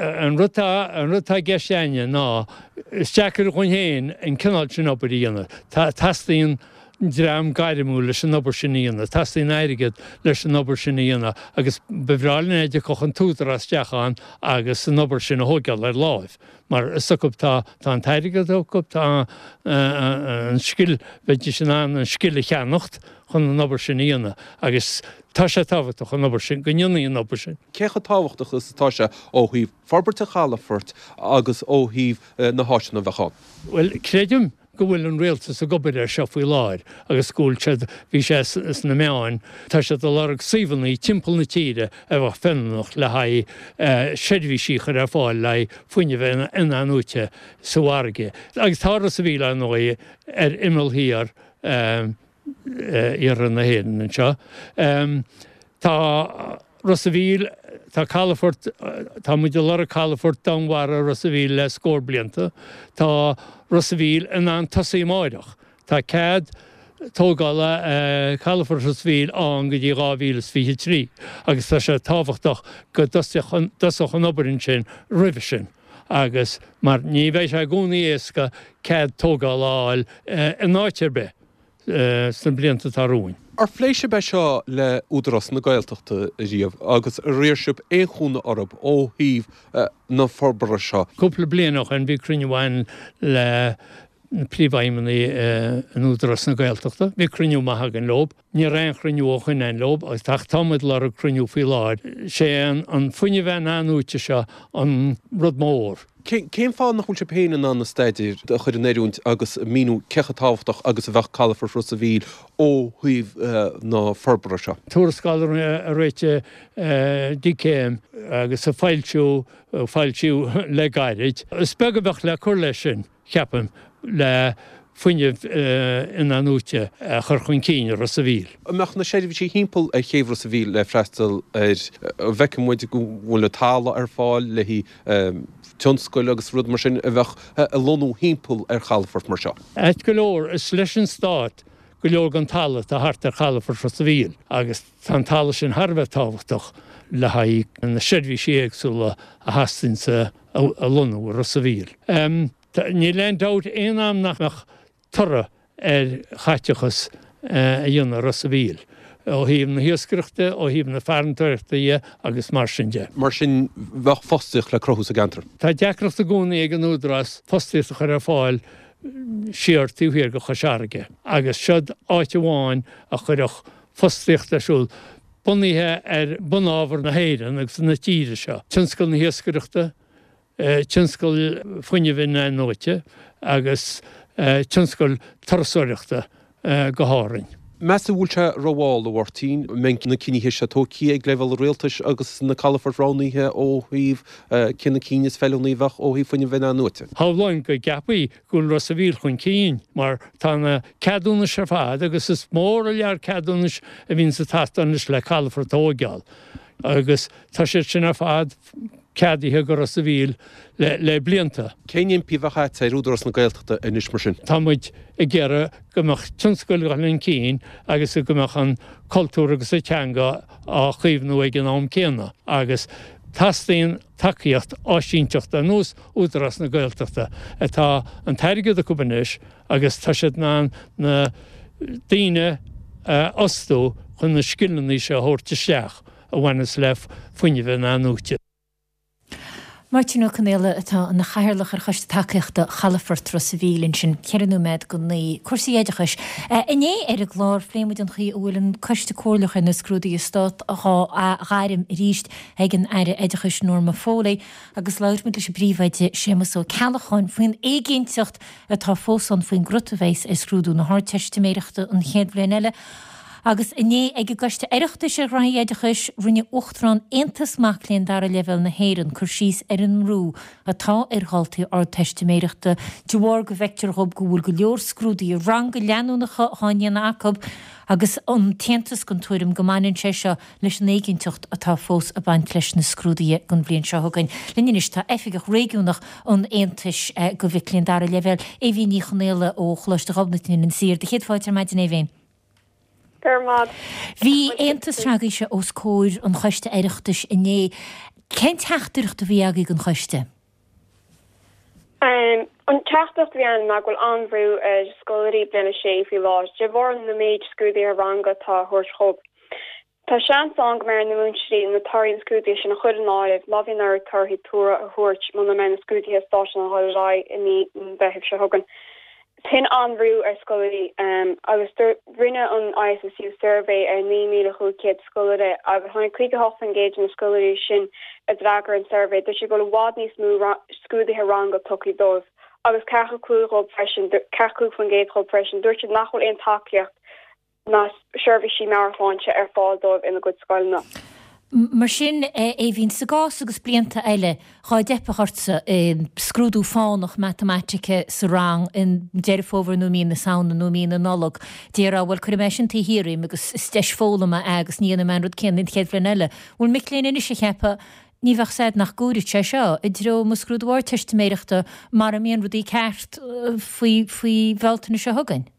An rud atá, an rud atá i gceist againne ná, is deacair dhúinn féin an cineál sin obair a dhéanamh. Teastaíonn dream gairmiúil leis an obair sin a dhéanamh. Teastaíonn airgead leis an obair sin a dhéanamh agus ba bhreá linn é dá dtiocfadh an tÚdarás isteach ann agus an obair sin a thóigeáil ar láimh mar is acu tá tá an t-airgead acu, tá an scil, bheidís in ann an scil a cheannacht chun an obair sin a dhéanamh agus tá sé tábhachtach an obair sin, go ndéanfaí an obair sin. Cé chomh tábhachtach is atá sé ó thaobh forbairt an chalafoirt agus ó thaobh na háiseanna a bheadh ann? Bhuel, creidim go bhfuil an rialtas ag obair air seo faoi láthair agus go bhfuil siad, bhí sé sna meáin, tá siad ag lorg suíomhanna timpeall na tíre a bheadh feiliúnach le haghaidh seirbhísí a chur ar fáil le haghaidh fuinneamh in-athnuaite sa bhfarraige. Agus tá Ros a' Mhíl, ar ndóigh, ar imeall thiar iarthar na hÉireann anseo. Tá Ros a' Mhíl, tá calafort, tá muid ag lorg calafort Danmhara Ros a' Mhíl le scór blianta. Tá Ros a' Mhíl in ann tosaí amáireach. Tá cead tógála calafort Ros a' Mhíl ann go dtí 2023 agus tá sé tábhachtach go dtosódh an obair ansin roimhe sin agus mar ní bheidh sé i gcónaí éasca cead tógála a fháil in áit ar bith. sna blianta atá romhainn. Ar phléigh sibh é seo le Údarás na Gaeltachta riamh agus ar iarr sibh aon chúnamh orthu ó thaobh na forbartha seo? Cúpla bliain ó shin bhí cruinniú againn le príomhfheidhmeannaigh in Údarás na Gaeltachta. Bhí cruinniú maith againn leo. Ní raibh aon chruinniú ó shin againn leo ach tá muid ag lorg cruinniú faoi láthair. Sé an fuinneamh in-athnuaite seo an rud mór. Cén fáth nach bhfuil sibh féin in ann na staidéir a chur in oiriúint agus míniú cé chomh tábhachtach agus a bheadh calafort Ros a' Mhíl ó thaobh na forbartha seo? Tuarascáil a réitigh DCÉim agus a foilsiú, foilsíodh le gairid. Is beag a bheadh le cur leis sin. cheapfainn, le fuinneamh in-athnuaite a chur chun cinn i Ros a' Mhíl. An mbeadh na seirbhísí thimpeall ar chéibh Ros a' Mhíl le freastal air? An bhfeiceann muid go bhfuil an talamh ar fáil le haghaidh tionscail agus rud mar sin a bheadh ag lonnú thimpeall ar chalafort mar seo? Ait go leor, is leis an Stát. go leor den talamh atá thart ar chalafort Ros a' Mhíl agus tá an talamh sin thar a bheith tábhachtach le haghaidh na seirbhísí éagsúla a theastaíonn a lonnú i Ros a' Mhíl. Níl aon dabht aon am nach mbeadh toradh ar chaiteachas a dhéanamh i Ros a' Mhíl, ó thaobh na hiascaireachta, ó thaobh na farantóireachta dhe agus mar sin de. Mar sin, bheadh fostaíocht le cruthú sa gceantar. Tá deacracht i gcónaí ag an Údarás fostaíocht a chur ar fáil siar taobh thiar de Chois Fharraige agus seod áit amháin a chuirfeadh fostaíocht ar siúl bunaithe ar bunábhar na hÉireann agus na tíre seo, tionscal na hiascaireachta, tionscal fuinnimh in-athnuaite agus tionscal turasóireachta go hÁrainn. Meas tú an bhfuil sé rómhall, a Mháirtín, an mbeidh na cinnithe seo tógtha ag leibhéal an rialtais agus na calafoirt roghnaithe ó thaobh cé na cinn is feiliúnaí a bheadh ó thaobh fuinnimh in-athnuaite? Shamhlóinn go gceapfaí go bhfuil Ros a' Mhíl chun cinn mar tá na ceadúnais ar fad agus is mór an lear ceadúnais a bhíonns ag teastáil anois le calafort a thóigeáil agus tá siad sin ar fad ceadaithe go Ros a' Mhíl le blianta. Cén impí a bheadh agat ar Údarás na Gaeltachta anois mar sin? Tá muid ag iarraidh go mbeadh tionscail ag dul chun cinn agus go mbeadh an cultúr agus an teanga á chaomhnú ag an am céanna agus teastaíonn tacaíocht áisínteachta ar nós Údarás na Gaeltachta atá an t-airgead acu anois agus tá siad in ann na daoine a fhostú chun na scileanna seo a thabhairt isteach. a bhaineas le fuinneamh in-athnuaite. Máirtín Ó Conaola atá ina chathaoirleach ar Choiste Tacaíochta Chalafort Ros a' Mhíl ansin, 4 nóiméad go 9. Cúrsaí oideachais. Inné ar an gclár phléigh muid an chaoi a bhfuil an Coiste Comhairleach ar na Scrúduithe Stáit dhá ghairm arís ag an Aire Oideachais Norma Foley agus labhair muid leis an bPríomhoide Séamus Ó Ceallacháin faoin éiginnteacht atá fós ann faoin gcrut a bheas ar scrúdú na hArdteistiméireachta an chéad bhliain eile. Agus inné ag an gCoiste Oireachtais ar Ghraithí Oideachais, rinne Uachtarán Aontas Mac Léinn Dara Leibhéal na hÉireann cur síos ar an mbrú atá ar dhaltaí Ardteistiméireachta de bharr go bhfeictear dhób go bhfuil go leor scrúduithe ranga leanúnacha dhá ndéanamh acu agus an tAontas den tuairim go mbaineann sé seo leis an éiginnteacht atá fós ag baint leis na scrúduithe don bhliain seo chugainn. Linn anois tá Oifigeach Réigiúnach an Aontais do mhic léinn dara leibhéal, Aoibhín Ní Chonaola ó Choláiste Ghobnait in Inis Oírr. Do chéad fáilte ar maidin, Aoibhín. Go raibh maith. Bhí Aontas s'agaibhse os comhair an Choiste Oireachtais inné. Cén teachtaireacht a bhí agaibh don Choiste? An teachtaireacht a bhí ann ná go bhfuil an-bhrú ar scoláirí bliain a sé faoi láthair de bharr na méid scrúduithe ranga atá á thabhairt dhóibh. Tá seans ann go mbeidh ar na múinteoirí na torthaí na scrúduithe sin a chur in áireamh má bhíonn orthu torthaí tuartha a thabhairt muna mbeidh na scrúduithe stáit in ann dhul ar aghaidh i mí an Mheithimh seo chugainn. Sin an-bhrú ar scoláirí agus rinne an ISSU suirbhé ar 9,500 scoláire agus tháinig 58% de na scoláirí sin a d'fhreagair an suirbhé, dúirt siad go bhfuil i bhfad níos mó scrúduithe ranga tugtha dóibh agus 45 dhóibh freisin, 45% dhóibh freisin, dúirt siad nach bhfuil aon tacaíocht ná seirbhísí meabhairshláinte ar fáil dóibh ina gcuid scoileanna. Mar sin, Aoibhín, sa gcás agus blianta eile, dhá dteipfeadh ortsa i scrúdú fánach matamaitice sa rang i nDeireadh Fómhair nó i mí na Samhna nó i mí na Nollag, déarfá, bhuel, cuirfidh mé sin taobh thiar dhíom agus is deis foghlama é agus ní dhéanfaidh mé an rud céanna an chéad bhliain eile. Bhfuil mic léinn anois ag ceapadh, ní bheadh 's a'd nach gcúirfeadh sé seo i dtreo mo scrúdú Ardteistiméireachta mara mbíonn rudaí ceart faoi faoi Bhealtaine seo chugainn?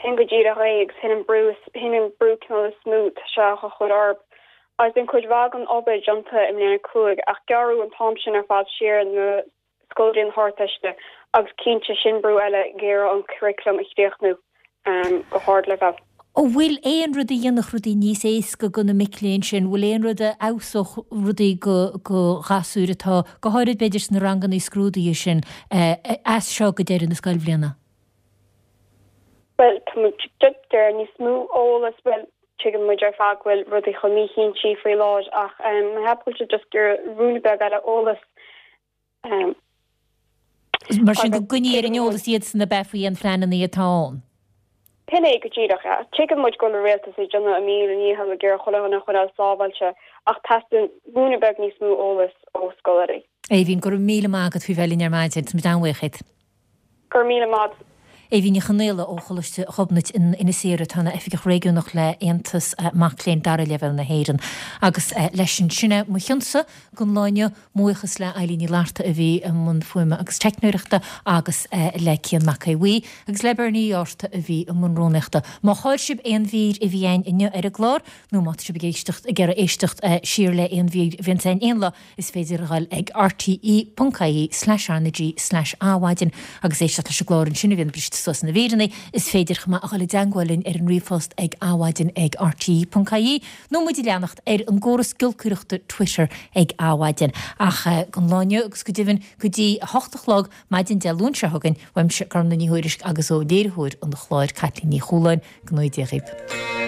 Sin go díreach é agus sin an brú, sin an brú cineál is mó atá sé á chur orb. Agus bíonn cuid mhaith den obair déanta i mbliain 5 ach gearradh an t-am sin ar fad siar ar na scoláirí na hArdteiste agus cinnte sin brú eile ag iarraidh an curriculum a chríochnú go hardleibhéal. An bhfuil aon rud a dhéanfadh rudaí níos éasca do na mic léinn sin? Bhfuil aon rud a fheabhsódh rudaí do ghasúir atá, go háirid b'fhéidir sna ranganna scrúdaithe sin, as seo go deireadh na scoilbhliana? Bhuel, tá muid ag iarraidh níos mó eolas, bhuel, tuigeann muid ar fad go bhfuil rudaí chomh míchinnte faoi láthair ach mé ag ceapadh go bhfuil siad just ag iarraidh ruainne beag eile eolas. Mar sin go gcoinní ar an eolas iadsan ab ea faoi aon phleananna atá ann? Sin é go díreach, yeah. Tuigeann muid go bhfuil an rialtas ag déanamh a míle ndícheall ag iarraidh chuile dhuine a choinneáil sábháilte ach teastaíonn ruainne beag níos mó eolas ó scoláirí. Aoibhín, go raibh míle maith agat faoi bheith linn ar maidin. Tá muid an-bhuíoch díot. Go raibh míle maith. Éibhín Ní Chonaola ó Choláiste Ghobnait in Inis Oírr atá ina Oifigeach Réigiúnach le Aontas Mac Léinn Dara Leibhéal na hÉireann. Agus leis sin, sin é mo chionsa don lá inniu. Mo bhuíochas le Eilín Ní Fhlatharta a bhí i mbun fuaime agus teicneoireachta agus le Cian Mac Aodha Bhuí agus le Bernie Uí Fhátharta a bhí i mbun rúnaíochta. Má chaill sibh aon mhír a bhí againn inniu ar an gclár nó má tá sibh ag éisteacht ag iarraidh éisteacht siar le aon mhír a bhíonns againn aon lá, Is féidir a dhul ag rte.ie/rnag/adhmhaidin agus éisteacht leis an gclár ansin a bhíonn briste suas ina mhíreanna. Is féidir chomh maith a dhul i dteangmháil linn ar an ríomhphost ag adhmhaidin ag rte.ie nó muid a leanacht ar an gcóras giolcaireachta Twitter ag adhmhaidin. Ach don lá inniu agus go deimhin go dtí a hocht a chlog maidin Dé Luain seo chugainn, uaimse Gormfhlaith Ní Thuairisg agus ó léiritheoir an chláir Caitlín Ní Chualáin, go ngnóthaí Dia dhaoibh.